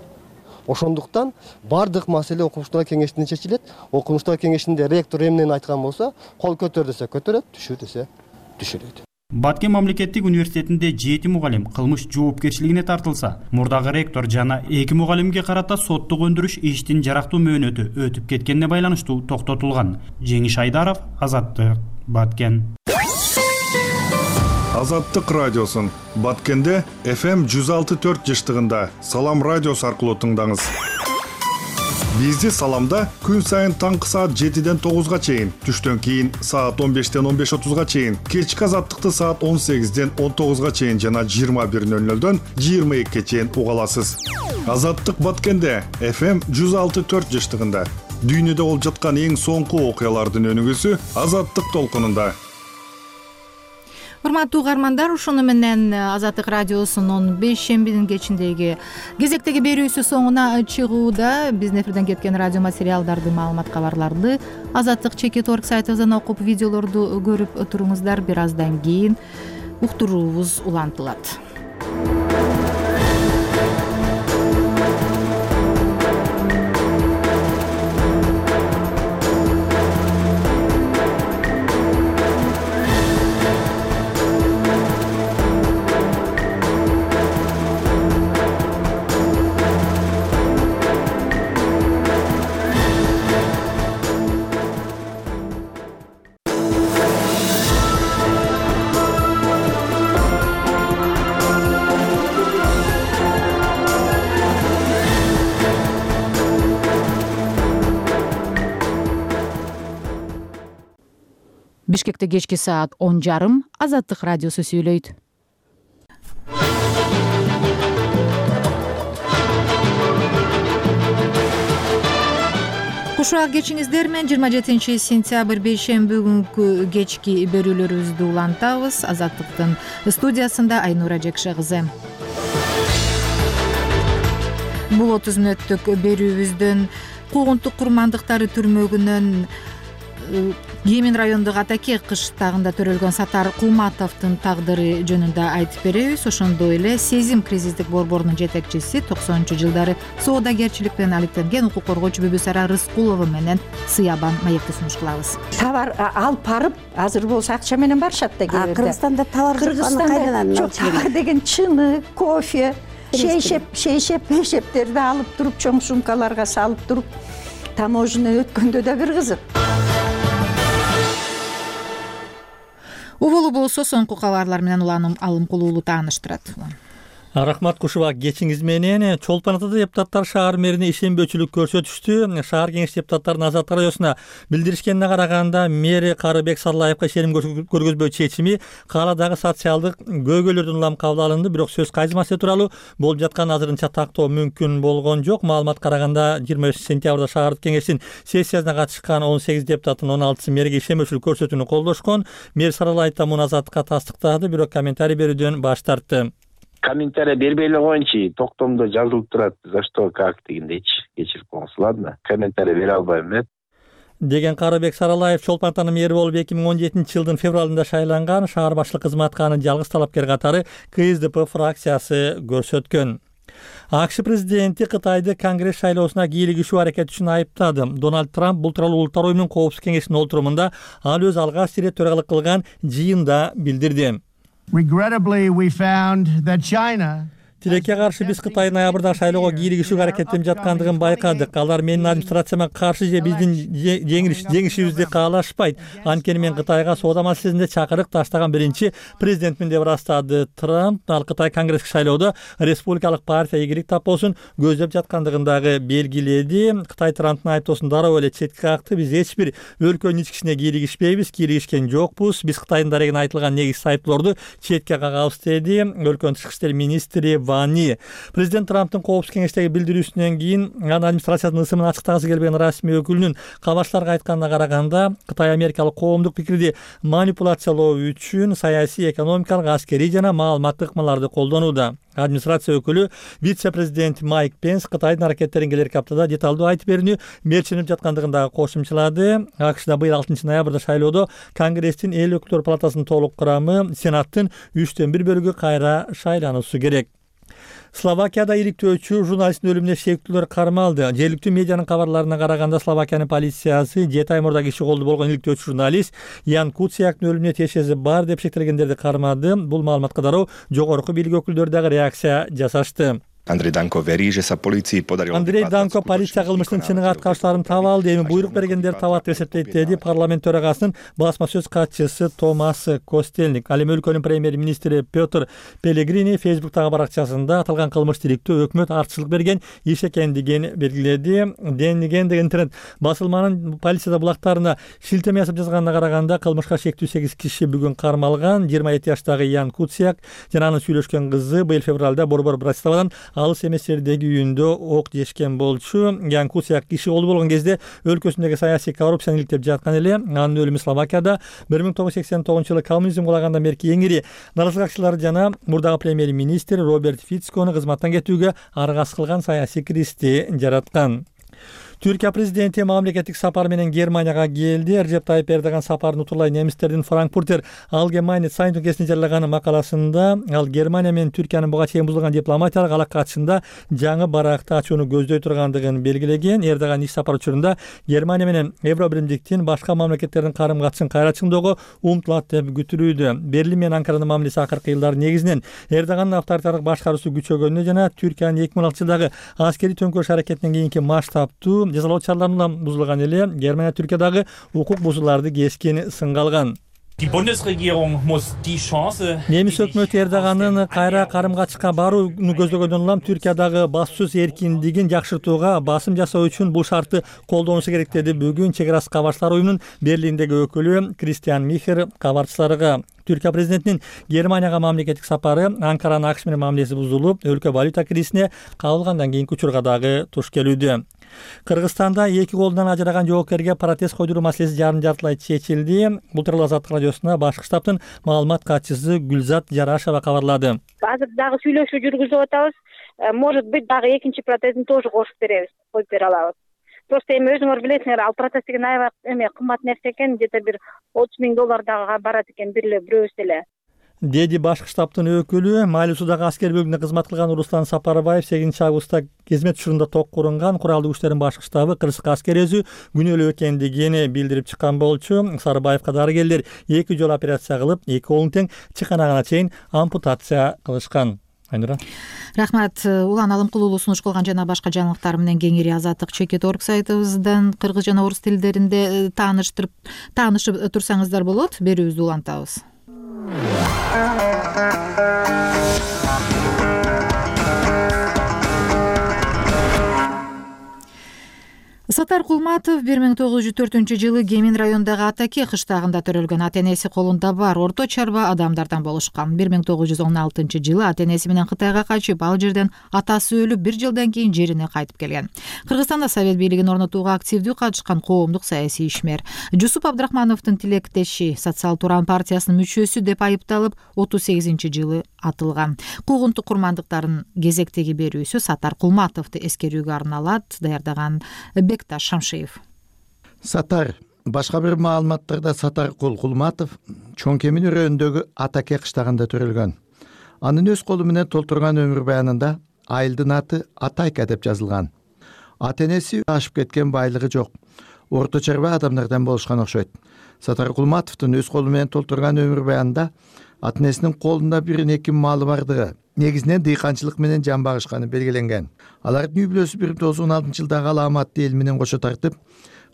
Ошондуктан бардык маселе окумуштар кеңешинде чечилет. Окумуштар кеңешинде ректор эмнени айткан болсо, кол көтөр десе көтөрөт, түшүр десе түшүрөт. Баткен мамлекеттик университетинде 7 мугалим кылмыш жоопкерчилигине тартылса, мурдагы ректор жана 2 мугалимге карата соттук өндүрүш иштин жарактуу мөөнөтү өтүп кеткенине байланыштуу токтотулган. Жеңиш Айдаров, Азаттык, Баткен. Азаттык радиосун Баткенде FM 106.4 жыштыгында Салам радиосу аркылуу тыңдаңыз. Бизди Саламда күн сайын таңкы саат 7-ден 9-га чейин, түштөн кийин саат 15-ден 15:30-га чейин, кечки Азаттыкты саат 18-ден 19-га чейин жана 21:00-дөн 22-ге чейин уга аласыз. Азаттык Баткенде FM 106.4 жыштыгында дүйнөдө болуп жаткан эң соңку окуялардын өнүгүүсү Азаттык толкунунда. урматтуу угармандар, ушуну менен Азаттык радиосунун 5-шембинин кечиндеги кезектеги берүүсү соңуна чыгууда. Биздин эфирден кеткен радио материалдарды, маалымат, кабарларды Азаттык ЧК.org сайтыбыздан окуп, видеолорду көрүп туруңуздар. Бир аздан кийин уктуруубуз улантылат. Бишкекте кечки саат 10:30 Азаттык радиосу сүйлөйт. Кушак кечиңиздер менен 27 сентябрь бейшемби күнкү кечки берүүлөрүбүздү улантабыз. Азаттыктын студиясында Айнура Жекше кызы. Бул 30 мүнөттүк берүүбүздөн куугунтук курмандыктары түрмөгүнөн Емин райондук Атаке кыштагында төрөлгөн Сатар Кулматовдун тагдыры жөнүндө айтып беребиз. Ошондой эле Сезим кризистик борборунун жетекчиси 90-жылдары соодагерчилик менен алектенген укук коргоочу Бүбүсара Рыскулова менен Сыябан маекти сунуш кылабыз. Товар алып барып, азыр болсо акча менен барышат да кээ бирде. Кыргызстанда товар кайдан товар деген чыны, кофе, шейшептерди алып туруп, чоң сумкаларга салып туруп, таможня өткөндө да бир кызык. Убулу болсо соңку кабарлар менен уланып алым кылуулу тааныштырат. Рахмат Кушубак, кечиңиз менен Чолпон Атада депутаттар шаар мэрине ишенбөөчүлүк көрсөтүштү. Шаар кеңеш депутаттарынын Азаттык радиосуна билдиришкенине караганда, мэри Карыбек Сарылаевга ишеним көргөзбөө чечими кааладагы социалдык көйгөйлөрдөн улам кабыл алынды, бирок сөз кайсы маселе тууралуу болуп жатканын азырынча тактоо мүмкүн болгон жок. Маалыматка караганда 25 сентябрда шаардык кеңештин сессиясына катышкан 18 депутаттын 16сы мэриге ишенбөөчүлүк көрсөтүүнү колдошкон. Мэр Сарылаев да муну Азаттыкка тастыктады, бирок комментарий берүүдөн баш тартты. Комментарий бербей эле коеюнчу, токтомдо жазылып турат, за что, как дегендейчи. Кечирип коңуз, ладно. Комментарий бере албайм мен. Деген Карыбек Сарылаев Чолпон Атанын мэри болуп 2017-жылдын февралында шайланган. Шаар башлык кызматка аны жалгыз талапкер катары КСДП фракциясы көрсөткөн. АКШ президенти Кытайды Конгресс шайлоосуна кийлигишүү аракети үчүн айыптады. Дональд Трамп бул тууралуу Улуттар уюмунун коопсуздук кеңешинин олтурумунда ал өз алгач ирет төрагалык кылган жыйында билдирди. Regrettably, we found that China Тилекке каршы биз Кытай ноябрда шайлоого кийлигишүүгө аракеттенип жаткандыгын байкадык. Алар менин администрацияма каршы же биздин жеңишибизди каалашпайт. Анткени мен Кытайга соода маселесинде чакырык таштаган биринчи президентмин деп ырастады Трамп. Ал Кытай конгресстик шайлоодо республикалык партия ийгилик тапоосун көздөп жаткандыгын дагы белгиледи. Кытай Трамптын айыптоосун дароо эле четке какты. Биз эч бир өлкөнүн ички ишине кийлигишпейбиз, кийлигишкен жокпуз. Биз Кытайдын дарегине айтылган негизсиз айыптоолорду четке кагабыз деди өлкөнүн тышкы иштер министри Вани. Президент Трамптын коопсуздук кеңештеги билдирүүсүнөн кийин анын администрациянын ысымын ачыктагысы келбеген расмий өкүлүнүн кабарчыларга айтканына караганда, Кытай америкалык коомдук пикирди манипуляциялоо үчүн саясий, экономикалык, аскерий жана маалыматтык ыкмаларды колдонууда. Администрация өкүлү вице-президент Майк Пенс Кытайдын аракеттерин келерки аптада деталдуу айтып берүүнү мерчиленип жаткандыгын дагы кошумчалады. АКШда быйыл 6 ноябрда шайлоодо Конгресстин эл өкүлдөр палатасынын толук курамы, Сенаттын 3/1 бөлүгү кайра шайлануусу керек. Словакияда иликтөөчү журналисттин өлүмүнө шектүүлөр кармалды. Жергиликтүү медианын кабарларына караганда, Словакиянын полициясы 7 ай мурда киши колду болгон иликтөөчү журналист Ян Куцияктын өлүмүнө тиешеси бар деп шектелгендерди кармады. Бул маалыматка дароо жогорку бийлик өкүлдөрү дагы реакция жасашты. Андрей Данко полиция кылмыштын чыныгы аткаручуларын таба алды, эми буйрук бергендер табат деп эсептейт, деди парламент төрагасынын басма сөз катчысы Томас Костелник. Ал эми өлкөнүн премьер-министри Петр Пелегрини Фейсбуктагы баракчасында аталган кылмыш тиликтөө өкмөт артчылык берген иш экендигин белгиледи. Денниген деген интернет басылманын полиция булактарына шилтеме жасап жазганына караганда, кылмышка шектүү 8 киши бүгүн кармалган. 27 жаштагы Ян Куцияк жана анын сүйлөшкөн кызы быйыл февралда Борбор Братиславадан алыс эмес жердеги үйүндө ок жешкен болчу. Ян Кусяк киши колу болгон кезде өлкөсүндөгү саясий коррупцияны иликтеп жаткан эле. Анын өлүмү Словакияда 1989-жылы коммунизм кулагандан берки эң ири нарызгачылар жана мурдагы премьер-министр Роберт Фицкону кызматтан кетүүгө аргасыз кылган саясий кризисти жараткан. Түркия президенти мамлекеттик сапар менен Германияга келди. Режеп Тайып Эрдоган сапарын утурлай немистердин Франкфуртер Allgemeine Zeitung гезитинде жарыяган макаласында ал Германия менен Түркиянын буга чейин бузулган дипломатиялык алака катышында жаңы баракты ачууну көздөй тургандыгын белгилеген. Эрдоган иш сапар учурунда Германия менен Евро биримдиктин башка мамлекеттердин карым-катышын кайра чыңдоого умтулат деп күтүлүүдө. Берлин менен Анкаранын мамилеси акыркы жылдары негизинен Эрдогандын авторитардык башкаруусу күчөгөнүнө жана Түркиянын 2016-жылдагы аскерий төңкөрүш аракетинен кийинки масштабтуу жазалоо чараларынан бузулган эле Германия Түркиядагы укук бузууларды кескин сынга алган. Немис өкмөтү Эрдогандын кайра карым-катышка барууну көздөгөндөн улам Түркиядагы басуусуз эркиндигин жакшыртууга басым жасоо үчүн бул шартты колдонушу керек деди бүгүн Чек арасы кабарчылар уюмунун Берлиндеги өкүлү Кристиан Михер кабарчыларга. Түркия президентинин Германияга мамлекеттик сапары Анкаранын АКШ менен мамилеси бузулуп, өлкө валюта кризисине кабылгандан кийинки учурга дагы туш келүүдө. Кыргызстанда эки колунан ажыраган жоокерге протез койдуруу маселеси жарым-жартылай чечилди. Бул тууралуу Азаттык радиосуна башкы штабтын маалымат катчысы Гүлзат Жарашева кабарлады. Азыр дагы сүйлөшүү жүргүзүп атабыз. Может быть, дагы экинчи протезин тоже кошуп беребиз, коюп бере алабыз. Просто эми өзүңөр билесиңер, ал протез деген аябай кымбат нерсе экен, где-то бир $30,000 дагы барат экен бирөөбүз эле. Деди башкы штабтын өкүлү. Майлуусудагы аскер бөлүгүндө кызмат кылган Руслан Сапарбаев 8-августта кезмет учурунда ток курунган куралдуу күчтөрдүн башкы штабы кырсык аскер өзү күнөөлүү экендигин билдирип чыккан болчу. Сарыбаевка дарыгерлер 2 жолу операция кылып, 2 колун тең чыканагына чейин ампутация кылышкан. Айнура. Рахмат. Улан Алымкулуулу сунуш кылган жана башка жаңылыктар менен кеңири Азаттык Чекит.org сайтыбыздан кыргыз жана орус тилдеринде таанышып турсаңыздар болот. Берүүбүздү улантабыз. Сатар Кулматов 1904-жылы Кемин районундагы Атаке кыштагында төрөлгөн. Ата-энеси колунда бар орто чарба адамдардан болушкан. 1916-жылы ата-энеси менен Кытайга качып, ал жерден атасы өлүп, 1 жылдан кийин жерине кайтып келген. Кыргызстанда Совет бийлигин орнотууга активдүү катышкан коомдук саясий ишмер. Жусуп Абдрахмановдун тилектеши, Социал Туран партиясынын мүчөсү деп айыпталып, 38-жылы атылган. Куугунтук курмандыктарын кезектеги берүүсү Сатар Кулматовду эскерүүгө арналат. Даярдаган Бекташ Шамшиев. Сатар. Башка бир маалыматтарда Сатар Кулматов Чоң Кемин өрөөндөгү Атаке кыштагында төрөлгөн. Анын өз колу менен толтурган өмүр баянында айылдын аты Атайка деп жазылган. Ата-энеси ашып кеткен, байлыгы жок. Орто чарба адамдардан болушкан окшойт. Сатар Кулматовдун өз колу менен толтурган өмүр баянында ата-энесинин колунда 1-2 малы бардыгы, негизинен дыйканчылык менен жан багышканы белгиленген. Алардын үй бүлөсү 1916-жылдагы Аламатты эл менен кошо тартып,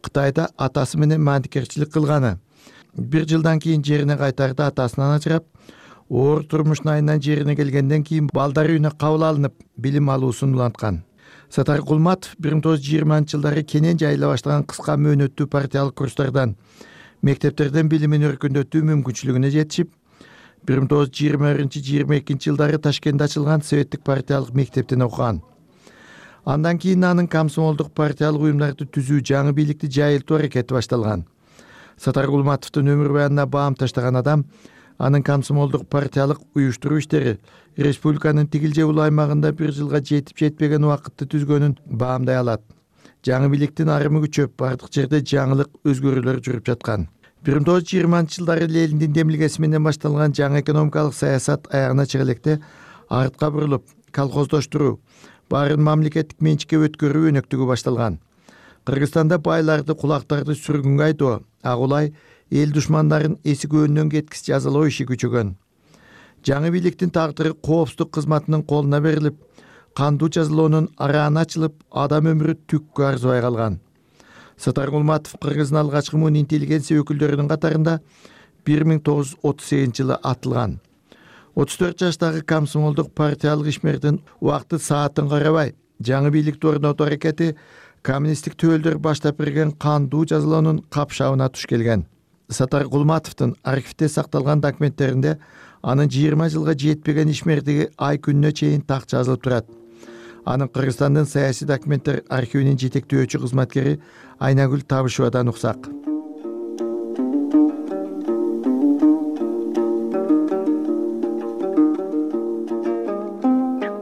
Кытайда атасы менен мандикерчилик кылганы. 1 жылдан кийин жерине кайтарда атасынан ажырап, оор турмуштун айынан жерине келгенден кийин балдар үйүнө кабыл алынып, билим алуусун уланткан. Сатар Кулматов 1920-жылдары кенен жайыла баштаган кыска мөөнөттүү партиялык курстардан, мектептерден билимин өркүндөтүү мүмкүнчүлүгүнө жетишип, 1921-22-жылдары Ташкентте ачылган Советтик партиялык мектептен окуган. Андан кийин анын комсомолдук партиялык уюмдарды түзүү, жаңы бийликти жайылтуу аракети башталган. Сатар Кулматовдун өмүр баянына баам таштаган адам анын комсомолдук партиялык уюштуруу иштери республиканын тигил же ул аймагында 1 жылга жетип жетпеген убакытты түзгөнүн баамдай алат. Жаңы бийликтин арымы күчөп, бардык жерде жаңылык өзгөрүүлөр жүрүп жаткан. 1920-жылдары Лениндин демилгеси менен башталган жаңы экономикалык саясат аягына чыга электе артка бурулуп, колхоздоштуруу, баарын мамлекеттик менчикке өткөрүү өнөктүгү башталган. Кыргызстанда байларды, кулактарды сүргүнгө айдоо, агулай эл душмандарын эсик өөнүнөн кеткис жазалоо иши күчөгөн. Жаңы бийликтин тагдыры коопсуздук кызматынын колуна берилип, кандуу жазалоонун арааны ачылып, адам өмүрү түккө арзыбай калган. Сатар Кулматов Кыргыздын алгачкы муун интеллигенция өкүлдөрүнүн катарында 1938-жылы атылган. 34 жаштагы комсомолдук партиялык ишмердин убакыты саатын карабай, жаңы бийликти орнотуу аракети коммунисттик төөлдөр баштап берген кандуу жазалоонун капшабына туш келген. Сатар Кулматовдун архивде сакталган документтеринде анын 20 жылга жетпеген ишмердиги ай күнүнө чейин так жазылып турат. Анын Кыргызстандын саясий документтер архивинин жетектөөчү кызматкери Айнагүл Табышевадан уксак.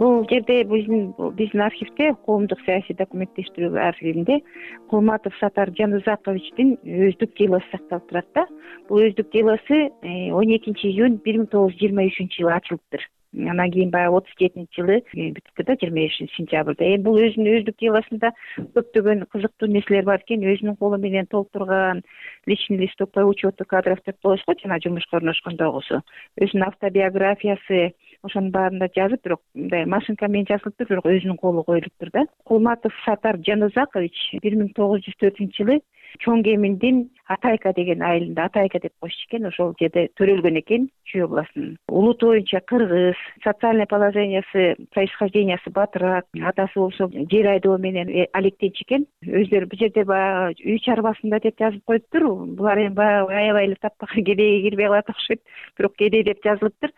Бул жерде биздин архивде, коомдук саясий документтештирүү архивинде Кулматов Сатар Жанузаковичтин өздүк делосу сакталып турат да. Бул өздүк делосу 12 июнь 1923 жылы ачылыптыр. Анан кийин баягы 37-жылы бүттү да, 25 сентябрда. Бул өзүнүн өздүк делосунда көптөгөн кызыктуу нерселер бар экен. Өзүнүн колу менен толтурган личный листок по учету кадров деп коебуз го, жана жумушка орношкондогусу. Өзүнүн автобиографиясы ошонун баарында жазып, бирок мындай машинка менен жазылыптыр, бирок өзүнүн колу коюлуптур да. Кулматов Сатар Жанузакович 1904-жылы Чоң Кеминдин Атайка деген айылында, Атайка деп коюшчу экен, ошол жерде төрөлгөн экен, Чүй областынын. Улут боюнча кыргыз, социальный положениясы, происхождениясы батыраак, атасы болсо жер айдоо менен алектенчү экен. Өздөрү бул жерде баягы үй чарбасында деп жазып коюптур. Булар эми баягы аябай эле тапкан кедейге кирбей калат окшойт, бирок кедей деп жазылыптыр.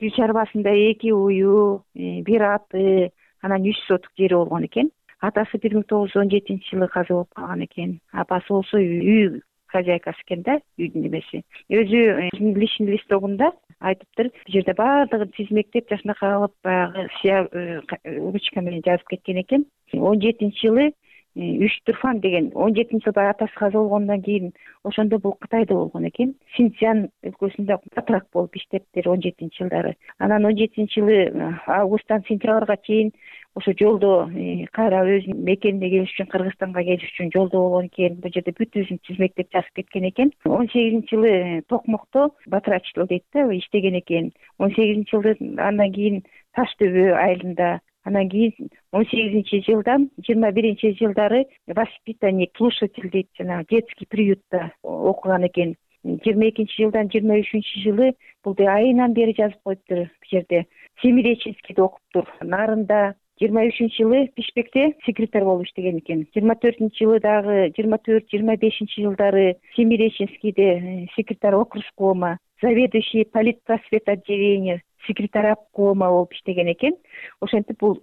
Үй чарбасында 2 уюу, 1 аты, анан 3 сотук жери болгон экен. Атасы 1917-жылы каза болуп калган экен. Апасы болсо үй хозяйкасы экен да, үйдүн эмеси. Өзү личный листогунда айтыптыр, бул жерде баардыгын тизмектеп, жашынакай алып, баягы ручка менен жазып кеткен экен. 17-жылы Үч-Турфан деген 17-жылы атасы каза болгондон кийин ошондо бул Кытайда болгон экен. Синьцзян өлкөсүндө батыраак болуп иштептир 17-жылдары. Анан 17-жылы августтан сентябрга чейин ошо жолдо кайра өзүнүн мекенине келиш үчүн, Кыргызстанга келиш үчүн жолдо болгон экен. Бул жерде бүт өзүн тизмектеп жазып кеткен экен. 18-жылы Токмокто батырачылык дейт да, иштеген экен. 18-жылы андан кийин Таш дөбө айылында, анан кийин 18-жылдан 21-жылдары воспитанник, слушатель дейт, жана детский приютта окуган экен. 22-жылдан 23-жылы бул айынан бери жазып коюптур бул жерде. Семиреченскийде окуптур. Нарында 23-жылы Бишкекте секретарь болуп иштеген экен. 24-жылы дагы 24-25 жылдары Семиреченскийде секретарь окружкома, заведующий политпросвет отделения, секретарь обкома болуп иштеген экен. Ошентип бул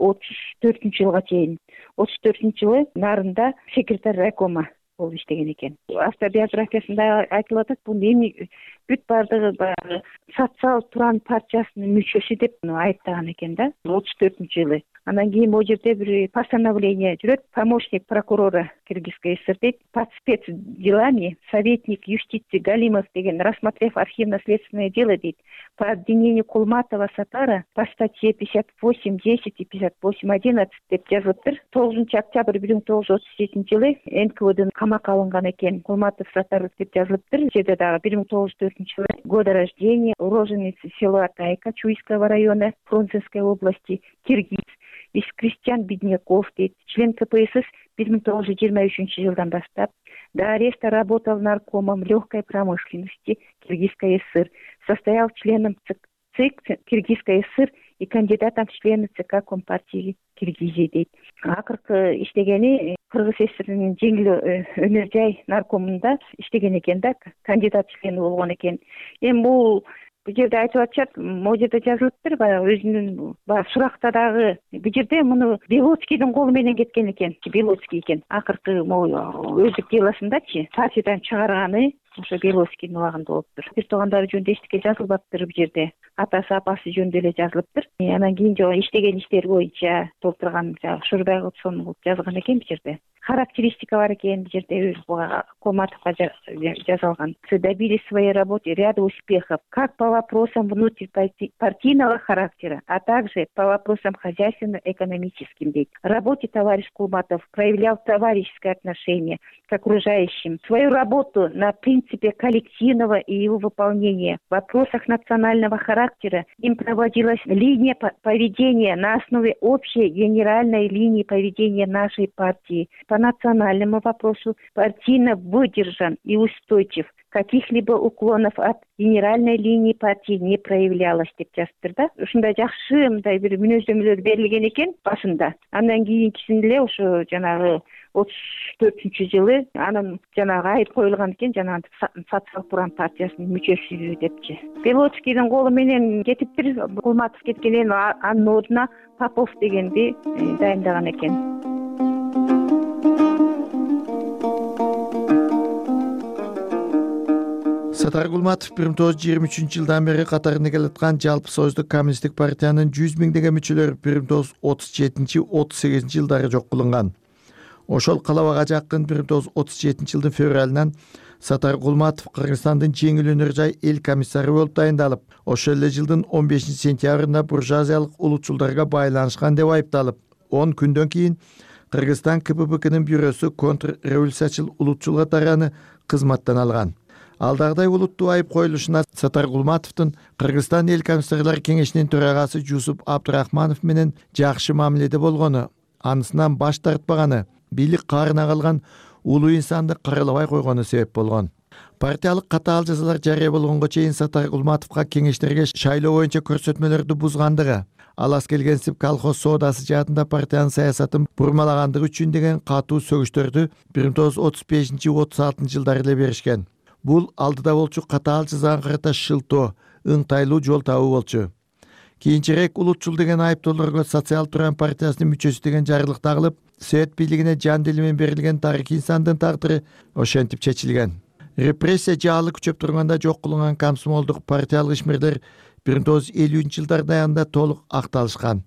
34-жылга чейин. 34-жылы Нарында секретарь райкома болуп иштеген экен. Автобиографиясында айтылып атат, бул эми бүт бардыгы баягы социал туран партиясынын мүчөсү деп айыптаган экен да, 34-жылы. Анан кийин бул жерде бир постановление жүрөт, помощник прокурора Кыргызской ССР дейт, под спецделами советник юстиции Галимов деген, рассмотрев архивно-следственное дело дейт, по обвинению Кулматова Сатара по статье 58.10 и 58.11 деп жазылыптыр. 9 октябрь 1937 НКВД камакка алынган экен. Кулматов Сатар деп жазылыптыр. Жерде дагы 1904 жылы года рождения, уроженец села Атайка Чуйского района Фрунзенской области, киргиз, из крестьян бедняков дейт, член КПСС 1923 жылдан баштап до ареста работал наркомом легкой промышленности Киргизской ССР, состоял членом ЦИК Киргизской ССР и кандидатом в члены ЦК Компартии Киргизии дейт. Акыркы иштегени Кыргыз ССРинин жеңил өнөр жай наркомунда иштеген экен да, кандидат члени болгон экен. Эми бул жерде айтып атышат, могу жерде жазылыптыр, баягы өзүнүн суракта дагы бул жерде муну Белоцкийдин колу менен кеткен экен. Белоцкий экен. Акыркы могу өздүк делосундачы партиядан чыгарганы ошо Белоцкийдин убагында болуптур. Бир туугандары жөнүндө эчтеке жазылбаптыр бул жерде. Атасы, апасы жөнүндө эле жазылыптыр. Анан кийин жок иштеген иштери боюнча толтурган Шурбай Кутсон кылып жазылган экен бул жерде. Характеристика бар экен бул жерде, Кулматовго жазылган. Добились в своей работе ряда успехов как по вопросам внутрипартийного характера, а также по вопросам хозяйственно-экономическим. В работе товарищ Кулматов проявлял товарищеское отношение к окружающим. Свою работу на принципе коллективного и его выполнения в вопросах национального характера им проводилась линия поведения на основе общей генеральной линии поведения нашей партии. По национальному вопросу партийно выдержан и устойчив. каких-либо уклонов от генеральной линии партии не проявлялось деп жазыптыр да. Ушундай жакшы мындай бир мүнөздөмөлөр берилген экен башында. Андан кийинкисинде эле ошо жанагы 34-жылы анын жанагы айып коюлган экен, жанагы Социал-Буран партиясынын мүчөсү депчи. Белоцкийдин колу менен кетиптир, Кулматов кеткенден анын ордуна Попов дегенди дайындаган экен. Сатар Кулматов 1923-жылдан бери катарында келаткан Жалпы Союздук коммунисттик партиянын 100 миңдеген мүчөлөрү 1937-38 жылдары жок кылынган. Ошол калабага жакын 1937-жылдын февралынан Сатар Кулматов Кыргызстандын жеңил өнөр жай эл комиссары болуп дайындалып, ошол эле жылдын 15-сентябрында буржуазиялык улутчулдарга байланышкан деп айыпталып, 10 күндөн кийин Кыргызстан КПБКнын бюросу контрреволюциячыл улутчул катараны кызматтан алган. Алдагыдай улуттуу айып коюлушуна Сатар Кулматовдун Кыргызстан эл комиссарлар кеңешинин төрагасы Жусуп Абдурахманов менен жакшы мамиледе болгону, анысынан баш тартпаганы, бийлик каарына калган улуу инсанды каралабай койгону себеп болгон. Партиялык катаал жазалар жарыя болгонго чейин Сатар Кулматовго кеңештерге шайлоо боюнча көрсөтмөлөрдү бузгандыгы, алас келгенсип колхоз соодасы жаатында партиянын саясатын бурмалагандыгы үчүн деген катуу сөгүштөрдү 1935-36 жылдары эле беришкен. Бул алдыда болчу катаал жазаага карата шылтоо, ыңтайлуу жол табуу болчу. Кийинчерээк улутчул деген айыптоолорго Социал-Туран партиясынын мүчөсү деген жарылык тагылып, Совет бийлигине жан дили менен берилген тарыхый инсандын тагдыры ошентип чечилген. Репрессия жаалы күчөп турганда жок кылынган комсомолдук партиялык ишмерлер 1950-жылдардын аягында толук акталышкан.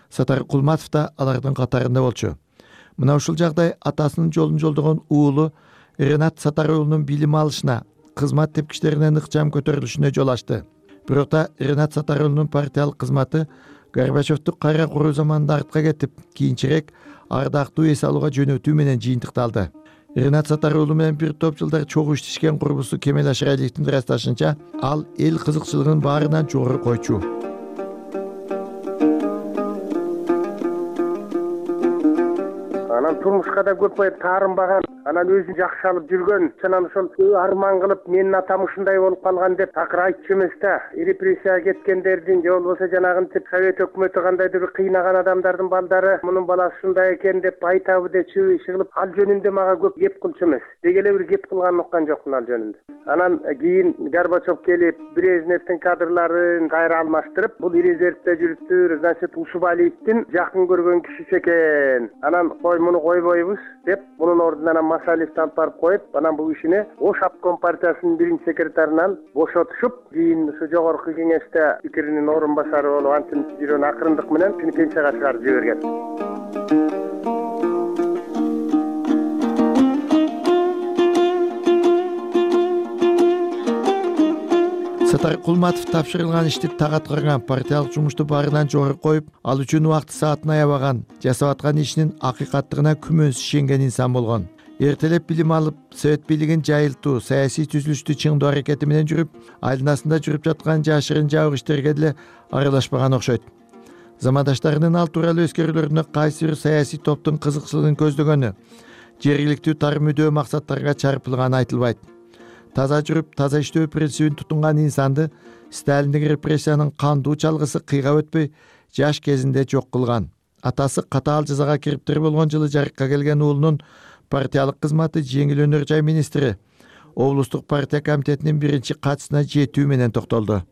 Сатар Кулматов да алардын катарында болчу. Мына ушул жагдай атасынын жолун жолдогон уулу Ренат Сатар уулунун билим алышына, кызмат тепкичтеринин ыкчам көтөрүлүшүнө жол ачты. Бирок да Ренат Сатар уулунун партиялык кызматы Горбачевду кайра куруу заманында артка кетип, кийинчерээк ардактуу эс алууга жөнөтүү менен жыйынтыкталды. Ренат Сатар уулу менен бир топ жылдар чогуу иштешкен курбусу Кемел Ашыралиевдин ырасташынча, ал эл кызыкчылыгынын баарынан жогору койчу. Анан турмушка да көп таарынбаган, анан өзүн жакшы алып жүргөн, анан ошол арман кылып менин атам ушундай болуп калган деп такыр айтчу эмес да. Репрессияга кеткендердин же болбосо жанагынтип Совет өкмөтү кандайдыр бир кыйнаган адамдардын балдары мунун баласы ушундай экен деп айтабы дечү, иш кылып ал жөнүндө мага көп кеп кылчу эмес. Деги эле бир кеп кылганын уккан жокмун ал жөнүндө. Анан кийин Горбачев келип, Брежневдин кадрларын кайра алмаштырып, бул резервде жүрүптүр, значит Усубалиевдин жакын көргөн кишиси экен. Анан муну койбойбуз деп, мунун ордуна Масалиевди алып барып коюп, анан бул кишини Ош обком партиясынын биринчи секретарынан бошотушуп, кийин ушу жогорку кеңеште пикиринин орун басары болуп, антип жүргөн акырындык менен пенсияга чыгарып жиберген. Сатар Кулматов тапшырылган ишти так аткарган, партиялык жумушту баарынан жогору коюп, ал үчүн убакты саатын аябаган, жасап аткан ишинин акыйкаттыгына күмөнсүз ишенген инсан болгон. Эртелеп билим алып, Совет бийлигин жайылтуу, саясий түзүлүштү чыңдоо аракети менен жүрүп, айланасында жүрүп жаткан жашырын жабык иштерге деле аралашпаган окшойт. Замандаштарынын ал тууралуу өскөрүүлөрүнө кайсы бир саясий топтун кызыкчылыгын көздөгөнү, жергиликтүү тар мүдөө максаттарга чарпылганы айтылбайт. Таза жүрүп, таза иштөө принцибин тутунган инсанды Сталиндик репрессиянын кандуу чалгысы кыйгап өтпөй жаш кезинде жок кылган. Атасы катаал жазага кириптир болгон жылы жарыкка келген уулунун партиялык кызматы жеңил өнөр жай министри, облустук партия комитетинин биринчи катчысына жетүү менен токтолду.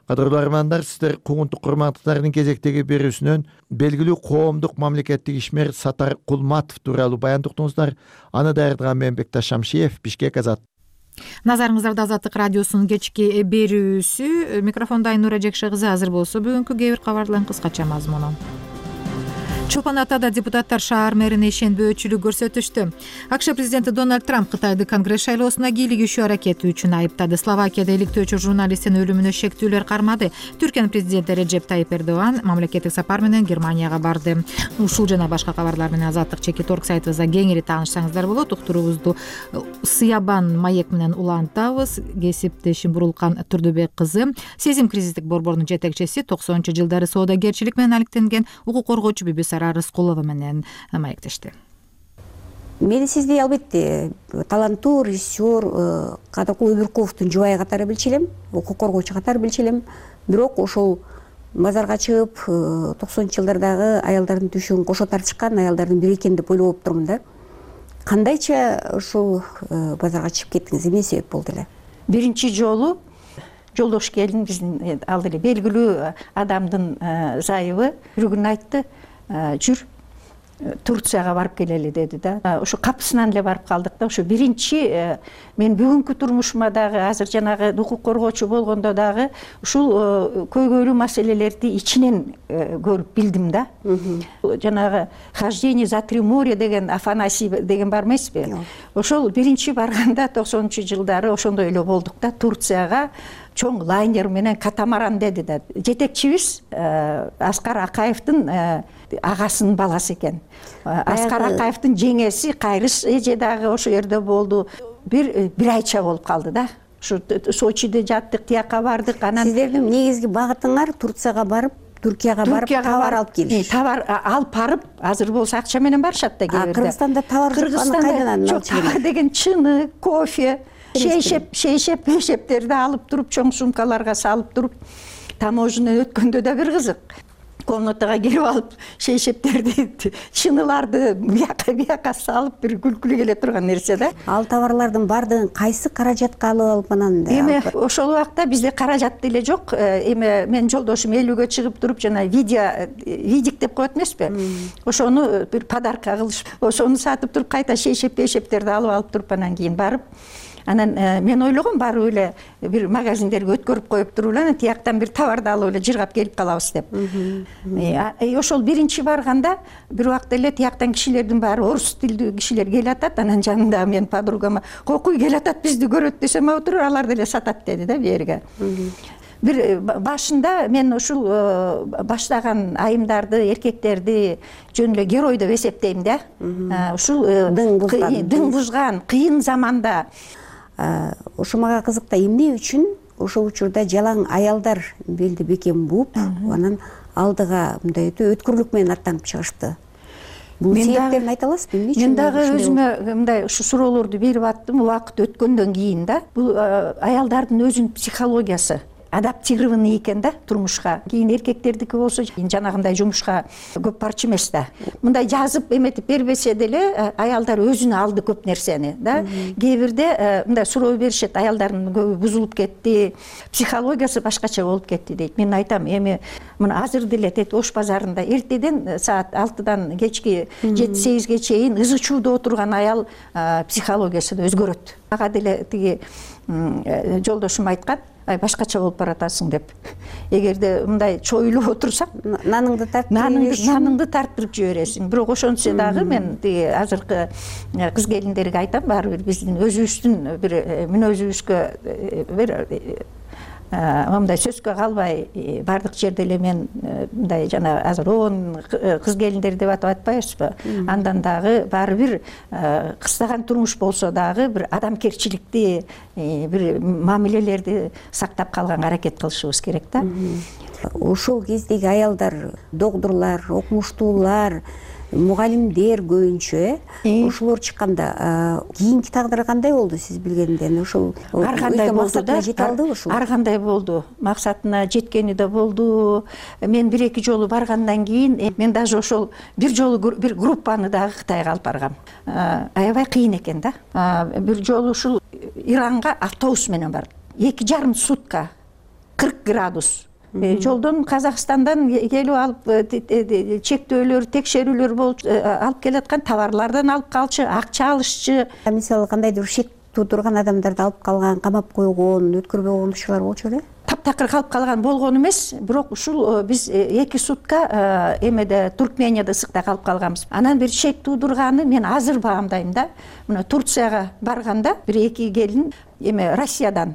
Кадырлуу армандар, сиздер кугунтук курматтыктардын кезектеги берүүсүнөн белгилүү коомдук мамлекеттик ишмер Сатар Кулматов тууралуу баян уктуңуздар. Аны даярдаган мен Бекташ Шамшиев, Бишкек, Азат. Назарыңыздарда Азаттык радиосунун кечки берүүсү. Микрофондо Айнура Жекше кызы. Азыр болсо бүгүнкү кээ бир кабарлардын кыскача мазмуну. Чолпон Атада депутаттар шаар мэрине ишенбөөчүлүк көрсөтүштү. АКШ президенти Дональд Трамп Кытайды Конгресс шайлоосуна кийлигишүү аракети үчүн айыптады. Словакияда иликтөөчү журналисттин өлүмүнө шектүүлөр кармады. Түркиянын президенти Реджеп Тайип Эрдоган мамлекеттик сапар менен Германияга барды. Ушул жана башка кабарлар менен Азаттык Чекит.орг сайтыбызда кеңири таанышсаңыздар болот. Уктуруубузду Сыябан маек менен улантабыз. Кесиптешим Бурулкан Турдубек кызы, Сезим кризистик борборунун жетекчиси, 90-жылдары соодагерчилик менен алектенген укук коргоочу Бибисара Рыскулова менен маектешти. Мен сизди албетте таланттуу режиссер Кадыркул Өмүркуловдун жубайы катары билчү элем, укук коргоочу катары билчү элем. Бирок ошол базарга чыгып 90-жылдардагы аялдардын түшүн кошо тартышкан аялдардын бири экен деп ойлоп турмун да. Кандайча ушул базарга чыгып кеттиңиз, эмне себеп болду эле? Биринчи жолу Жолдош келин биздин ал деле белгилүү адамдын зайыбы бир күнү айтты, жүр Турцияга барып келели деди да. Ошо капысынан эле барып калдык да. Ошо биринчи мен бүгүнкү турмушума дагы азыр жанагы укук коргоочу болгондо дагы ушул көйгөйлүү маселелерди ичинен көрүп билдим да. Жанагы «Хождение за три моря» деген Афанасий деген бар эмеспи? Ошол биринчи барганда 90-жылдары ошондой эле болдук да. Турцияга чоң лайнер менен катамаран деди да. Жетекчибиз Аскар Акаевдин агасынын баласы экен. Аскар Акаевдин жеңеси Кайрыш эже дагы ошо жерде болду. Бир айча болуп калды да. Ушу Сочиде жаттык, тияка бардык. Анан сиздердин негизги багытыңар Турцияга барып, Түркияга барып товар алып келиш. Товар алып барып, азыр болсо акча менен барышат да кээ бирде. Кыргызстанда товар кайдан алып товар деген чыны, кофе, шейшептерди алып туруп, чоң сумкаларга салып туруп, таможня өткөндө да бир кызык. Комнатага келип алып, шейшептерди, чыныларды бияка салып, бир күлкүлүү келе турган нерсе да. Ал товарлардын бардыгын кайсы каражатка алып анан? Эми ошол убакта бизде каражат деле жок. Эми мен жолдошум элүүгө чыгып туруп, жана видик деп коет эмеспи? Ошону бир подарка кылышып, ошону сатып туруп, кайта шейшептерди алып туруп, анан кийин барып, анан мен ойлогом барып эле бир магазиндерге өткөрүп коюп туруп эле тияктан бир товарды алып эле жыргап келип калабыз деп. Ошол биринчи барганда бир убакта эле тияктан кишилердин баары орус тилдүү кишилер келатат, анан жанында мен подругама «Кокуй келатат, бизди көрөт» десем, отуруп, алар деле сатат деди да берге. Бир башында мен ушул баштаган айымдарды, эркектерди жөн эле герой деп эсептейм да. Ушул дың бузган кыйын заманда ошо мага кызык да, эмне үчүн ошол учурда жалаң аялдар белди бекем бууп, анан алдыга мындай өтө өткүрлүк менен аттанып чыгышты? Бул себептерин айта аласызбы? Эмне үчүн? Мен дагы өзүмө мындай ушу суроолорду берип аттым убакыт өткөндөн кийин да. Бул аялдардын өзүнүн психологиясы адаптированный экен да турмушка. Кийин эркектердики болсо жанагындай жумушка көп барчу эмес да. Мындай жазып эметип бербесе деле аялдар өзүнө алды көп нерсени да. Кээ бирде мындай суроо беришет, аялдардын көбү бузулуп кетти, психологиясы башкача болуп кетти дейт. Мен айтам, эми мына азыр деле тет Ош базарында эртеден саат 6-дан кечки 7-8ге чейин ызы чууда отурган аял психологиясы да өзгөрөт. Ага деле тиги жолдошум айткан, башкача болуп баратасың деп. Эгерде мындай чоюлуп отурсаң, наныңды тарттырып жибересиң. Бирок ошончо дагы мен азыркы кыз келиндерге айтам, баары бир биздин өзүбүздүн бир мүнөзүбүзгө бир мындай сөзгө калбай бардык жерде эле мен мындай жана азыр 10 кыз келиндер деп атап атпайбызбы? Андан дагы баары бир кыстаган турмуш болсо дагы бир адамкерчиликти, бир мамилелерди сактап калганга аракет кылышыбыз керек да. Ошол кездеги аялдар, докторлор, окумуштуулар, мугалимдер көбүнчө ошолор чыкканда кийинки тагдыры кандай болду сиз билгенден? Ошол ар кандай болду да? Жете алдыбы ушул? Ар кандай болду. Максатына жеткени да болду. Мен 1-2 жолу баргандан кийин мен даже ошол бир жолу бир группаны дагы Кытайга алып баргам. Аябай кыйын экен да. Бир жолу ушул Иранга автобус менен бардым. 2,5 сутка 40 градус. Жолдон Казакстандан келип алып чектөөлөр, текшерүүлөр болуп алып келаткан товарлардан алып калчу, акча алышчу. Мисалы кандайдыр шек туудурган адамдарды алып калган, камап койгон, өткөрбөй койгончулар болчу беле? Таптакыр калып калган болгон эмес, бирок ушул биз 2 сутка эмеде Туркменияда ысыкта калып калганбыз. Анан бир шек туудурганы мен азыр баамдайм да. Мына Турцияга барганда бир 2 келин эме Россиядан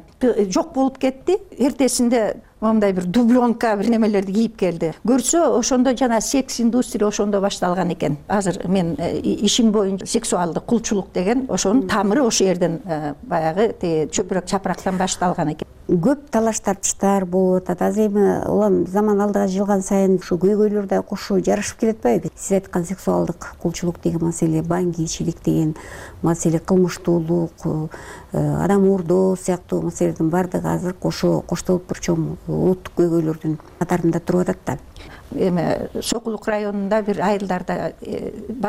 жок болуп кетти. Эртесинде моундай бир дубленка бир немелерди кийип келди. Көрсө ошондо жана секс индустрия ошондо башталган экен. Азыр мен ишим боюнча сексуалдык кулчулук деген ошонун тамыры ошол жерден баягы чөпүрөк чапырактан башталган экен. Көп талаш тартыштар болуп атат. Азыр эми улам заман алдыга жылган сайын ушу көйгөйлөр да кошо жарашып келет атпайбы? Сиз айткан сексуалдык кулчулук деген маселе, баңгийчилик деген маселе, кылмыштуулук, адам уурдоо сыяктуу маселелердин баардыгы азыр коштолуп бир чоң улуттук көйгөйлөрдүн катарында туруп атат да. Эми Сокулук районунда бир айылдарда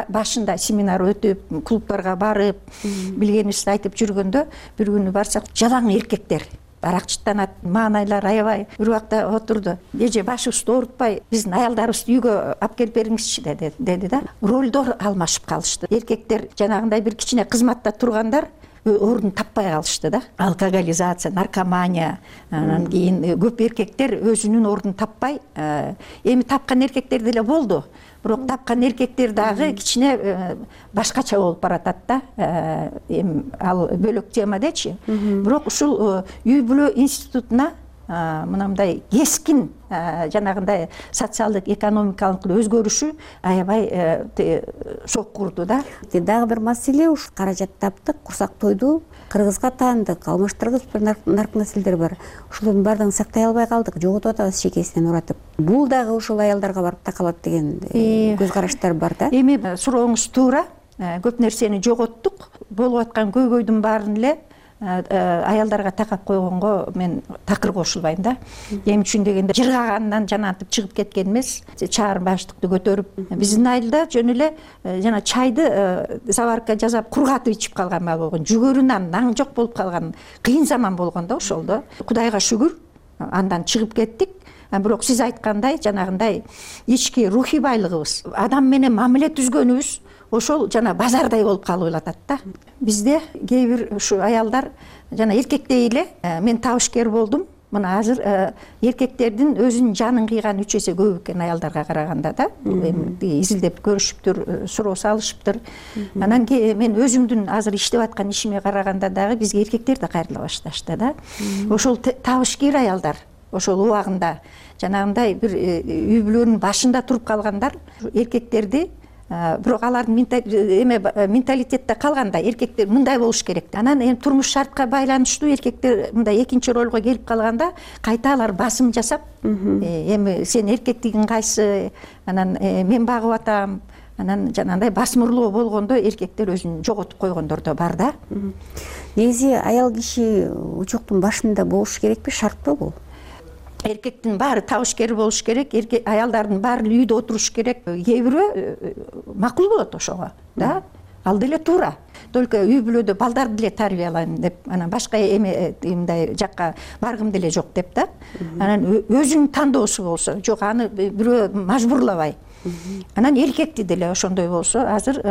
башында семинар өтүп, клубтарга барып, билгенибизди айтып жүргөндө бир күнү барсак, жалаң эркектер аракчыттанат, маанайлар аябай бир убакта отурду. Эже башыбызды оорутпай, биздин аялдарыбызды үйгө алып келип бериңизчи деди да. Ролдор алмашып калышты. Эркектер жанагындай бир кичине кызматта тургандар орун таппай калышты да. Алкоголизация, наркомания, анан кийин көп эркектер өзүнүн ордун таппай, эми тапкан эркектер деле болду. Бирок тапкан эркектер дагы кичине башкача болуп баратат да. Эми ал бөлөк тема дечи. Бирок ушул үй бүлө институтуна мындай кескин жанагындай социалдык экономикалык өзгөрүшү аябай соккурду да. Дагы бир маселе ушу каражат таптык, курсак тойду, кыргызга таандык, алмаштыргыс бир наркомаселдер бар. Ушулардын баардыгын сактай албай калдык, жоготуп атабыз шекесинен уратып. Бул дагы ушул аялдарга барып такалат деген көз караштар бар да. Эми сурооңуз туура, көп нерсени жоготтук. Болуп аткан көйгөйдүн баарын эле аялдарга такап койгонго мен такыр кошулбайм да. Эмне үчүн дегенде жыргагандан жанагынтип чыгып кеткен эмес, чаар баштыкты көтөрүп, биздин айылда жөн эле жана чайды заварка жасап кургатып ичип калган маал болгон, жүгөрү нан, наң жок болуп калган кыйын заман болгон да ошолдо. Кудайга шүгүр, андан чыгып кеттик. Бирок сиз айткандай жанагындай ички рухий байлыгыбыз, адам менен мамиле түзгөнүбүз ошол жана базардай болуп калып атат да. Бизде кээ бир ушу аялдар жана эркектей эле мен табышкер болдум. Мына азыр эркектердин өзүнүн жанын кыйган 3 эсе көп экен аялдарга караганда да. Эми изилдеп көрүшүптүр, суроо салышыптыр. Анан мен өзүмдүн азыр иштеп аткан ишиме караганда дагы бизге эркектер да кайрыла башташты да. Ошол табышкер аялдар ошол убагында жанагындай бир үй бүлөнүн башында туруп калгандар эркектерди, бирок алардын менталитетте калганда эркектер мындай болуш керек. Анан эми турмуш шартка байланыштуу эркектер мындай экинчи ролго келип калганда кайта алар басым жасап, эми сен эркектигиң кайсы, анан мен багып атам, анан жанагындай басмырлоо болгондо эркектер өзүн жоготуп койгондор да бар да. Негизи аял киши учоктун башында болуш керекпи, шартпы бул? Эркектин баары табышкер болуш керек, аялдардын баары үйдө отуруш керек. Кээ бирөө макул болот ошого да. Ал деле туура. Только үй бүлөдө балдарды деле тарбиялайм деп, анан башка мындай жакка баргым деле жок деп да. Анан өзүнүн тандоосу болсо, жок аны бирөө мажбурлабай. Анан эркекти деле ошондой болсо, азыр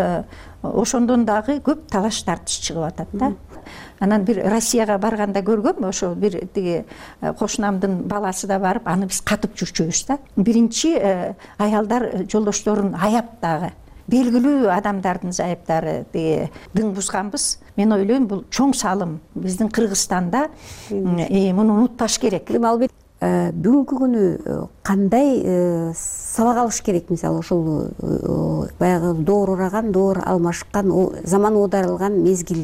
ошондон дагы көп талаш тартыш чыгып атат да. Анан бир Россияга барганда көргөм, ошо бир тиги кошунамдын баласы да барып, аны биз катып жүрчүбүз да. Биринчи аялдар жолдошторун аяп дагы. Белгилүү адамдардын зайыптары дың бузганбыз. Мен ойлойм, бул чоң салым. Биздин Кыргызстанда муну унутпаш керек. Албетте бүгүнкү күнү кандай сабак алыш керек? Мисалы ошол баягы доор ураган, доор алмашкан, заман оодарылган мезгил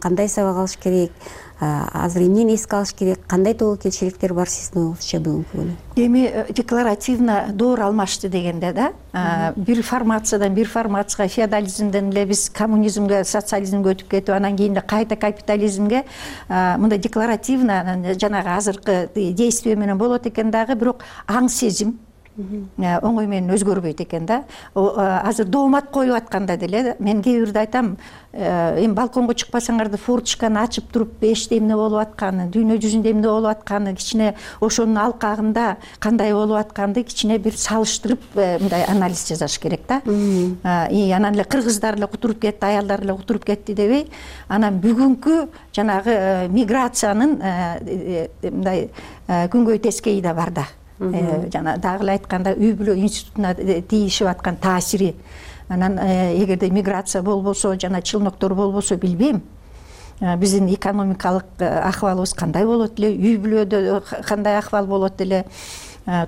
кандай сабак алыш керек? Азыр эмнени эске алыш керек? Кандай тобокелчиликтер бар сиздин оюңузча бүгүнкү күнү? Эми декларативно доор алмашты дегенде да, бир формациядан бир формацияга, феодализмден эле биз коммунизмге, социализмге өтүп кетип, анан кийин кайта капитализмге мындай декларативно жанагы азыркы действие менен болот экен дагы, бирок аң сезим оңой менен өзгөрбөйт экен да. Азыр доомат коюп атканда деле мен кээ бирде айтам, эми балконго чыкпасаңар да форточканы ачып туруп эште эмне болуп атканы, дүйнө жүзүндө эмне болуп атканы, кичине ошонун алкагында кандай болуп атканды кичине бир салыштырып мындай анализ жасаш керек да. Анан эле кыргыздар эле кутуруп кетти, аялдар эле кутуруп кетти дебей, анан бүгүнкү жанагы миграциянын мындай күнгөй тескейи да бар да. Жана дагы эле айтканда үй бүлө институтуна тийишип аткан таасири. Анан эгерде миграция болбосо, жана чылмыктор болбосо билбейм. биздин экономикалык акыбалыбыз кандай болот эле, үй бүлөдө кандай акыбал болот эле,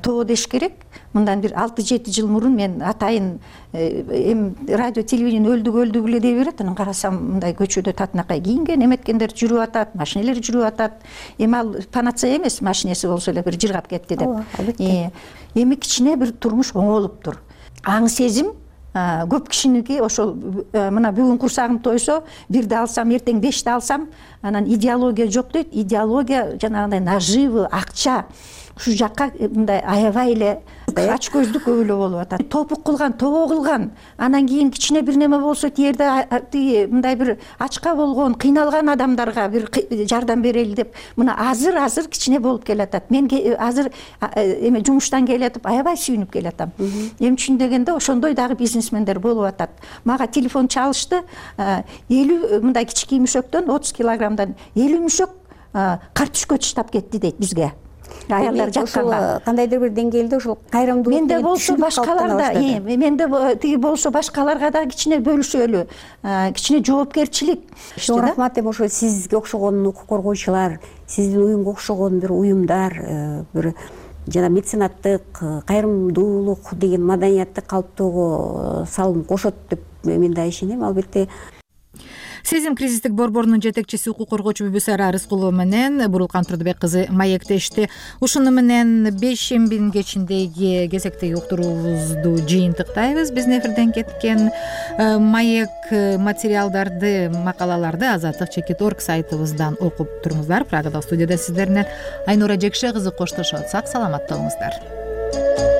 тоо деш керек. Мындан бир 6-7 жыл мурун мен атайын эми радио телевидение өлдүк эле дей берет. Анан карасам мындай көчөдө татынакай кийинген эметкендер жүрүп атат, машинелер жүрүп атат. Эми ал панацея эмес, машинеси болсо эле бир жыргап кетти деп. Эми кичине бир турмуш оңолуптур. Аң сезим көп кишиники ошол мына бүгүн курсагым тойсо, 1-де алсам, эртең 5-те алсам, анан идеология жок дейт. Идеология жанагындай наживы, акча ушул жакка мындай аябай эле ач көздүк көп эле болуп атат. Топук кылган, тоо кылган, анан кийин кичине бир неме болсо тиерде тиги мындай бир ачка болгон, кыйналган адамдарга бир жардам берели деп мына азыр кичине болуп келатат. Мен азыр эме жумуштан келетип аябай сүйүнүп келатам. Эмне үчүн дегенде ошондой дагы бизнесмендер болуп атат. Мага телефон чалышты, 50 мындай кички мүшөктөн 30 килограммдан 50 мүшөк картүшкө таштап кетти дейт бизге. Аялдар жатканга кандайдыр бир деңгээлде ошол кайрымдуулук менде болсо башкаларда, менде тиги болсо башкаларга да кичине бөлүшөлү, кичине жоопкерчилик. Чоң рахмат. Эми ошо сизге окшогон укук коргоочулар, сиздин уюмга окшогон бир уюмдар, бир жана меценаттык, кайрымдуулук деген маданиятты калыптоого салым кошот деп мен да ишенем. Албетте Сезим кризистик борборунун жетекчиси укук коргоочу Бүбүсара Рыскулова менен Бурулкан Турдубек кызы маектешти. Ушуну менен бейшембинин кечиндеги кезектеги уктуруубузду жыйынтыктайбыз. Биздин эфирден кеткен маек материалдарды, макалаларды azatlik.org сайтыбыздан окуп туруңуздар. Прагада студияда сиздер менен Айнура Жекше кызы коштошот. Сак саламатта болуңуздар.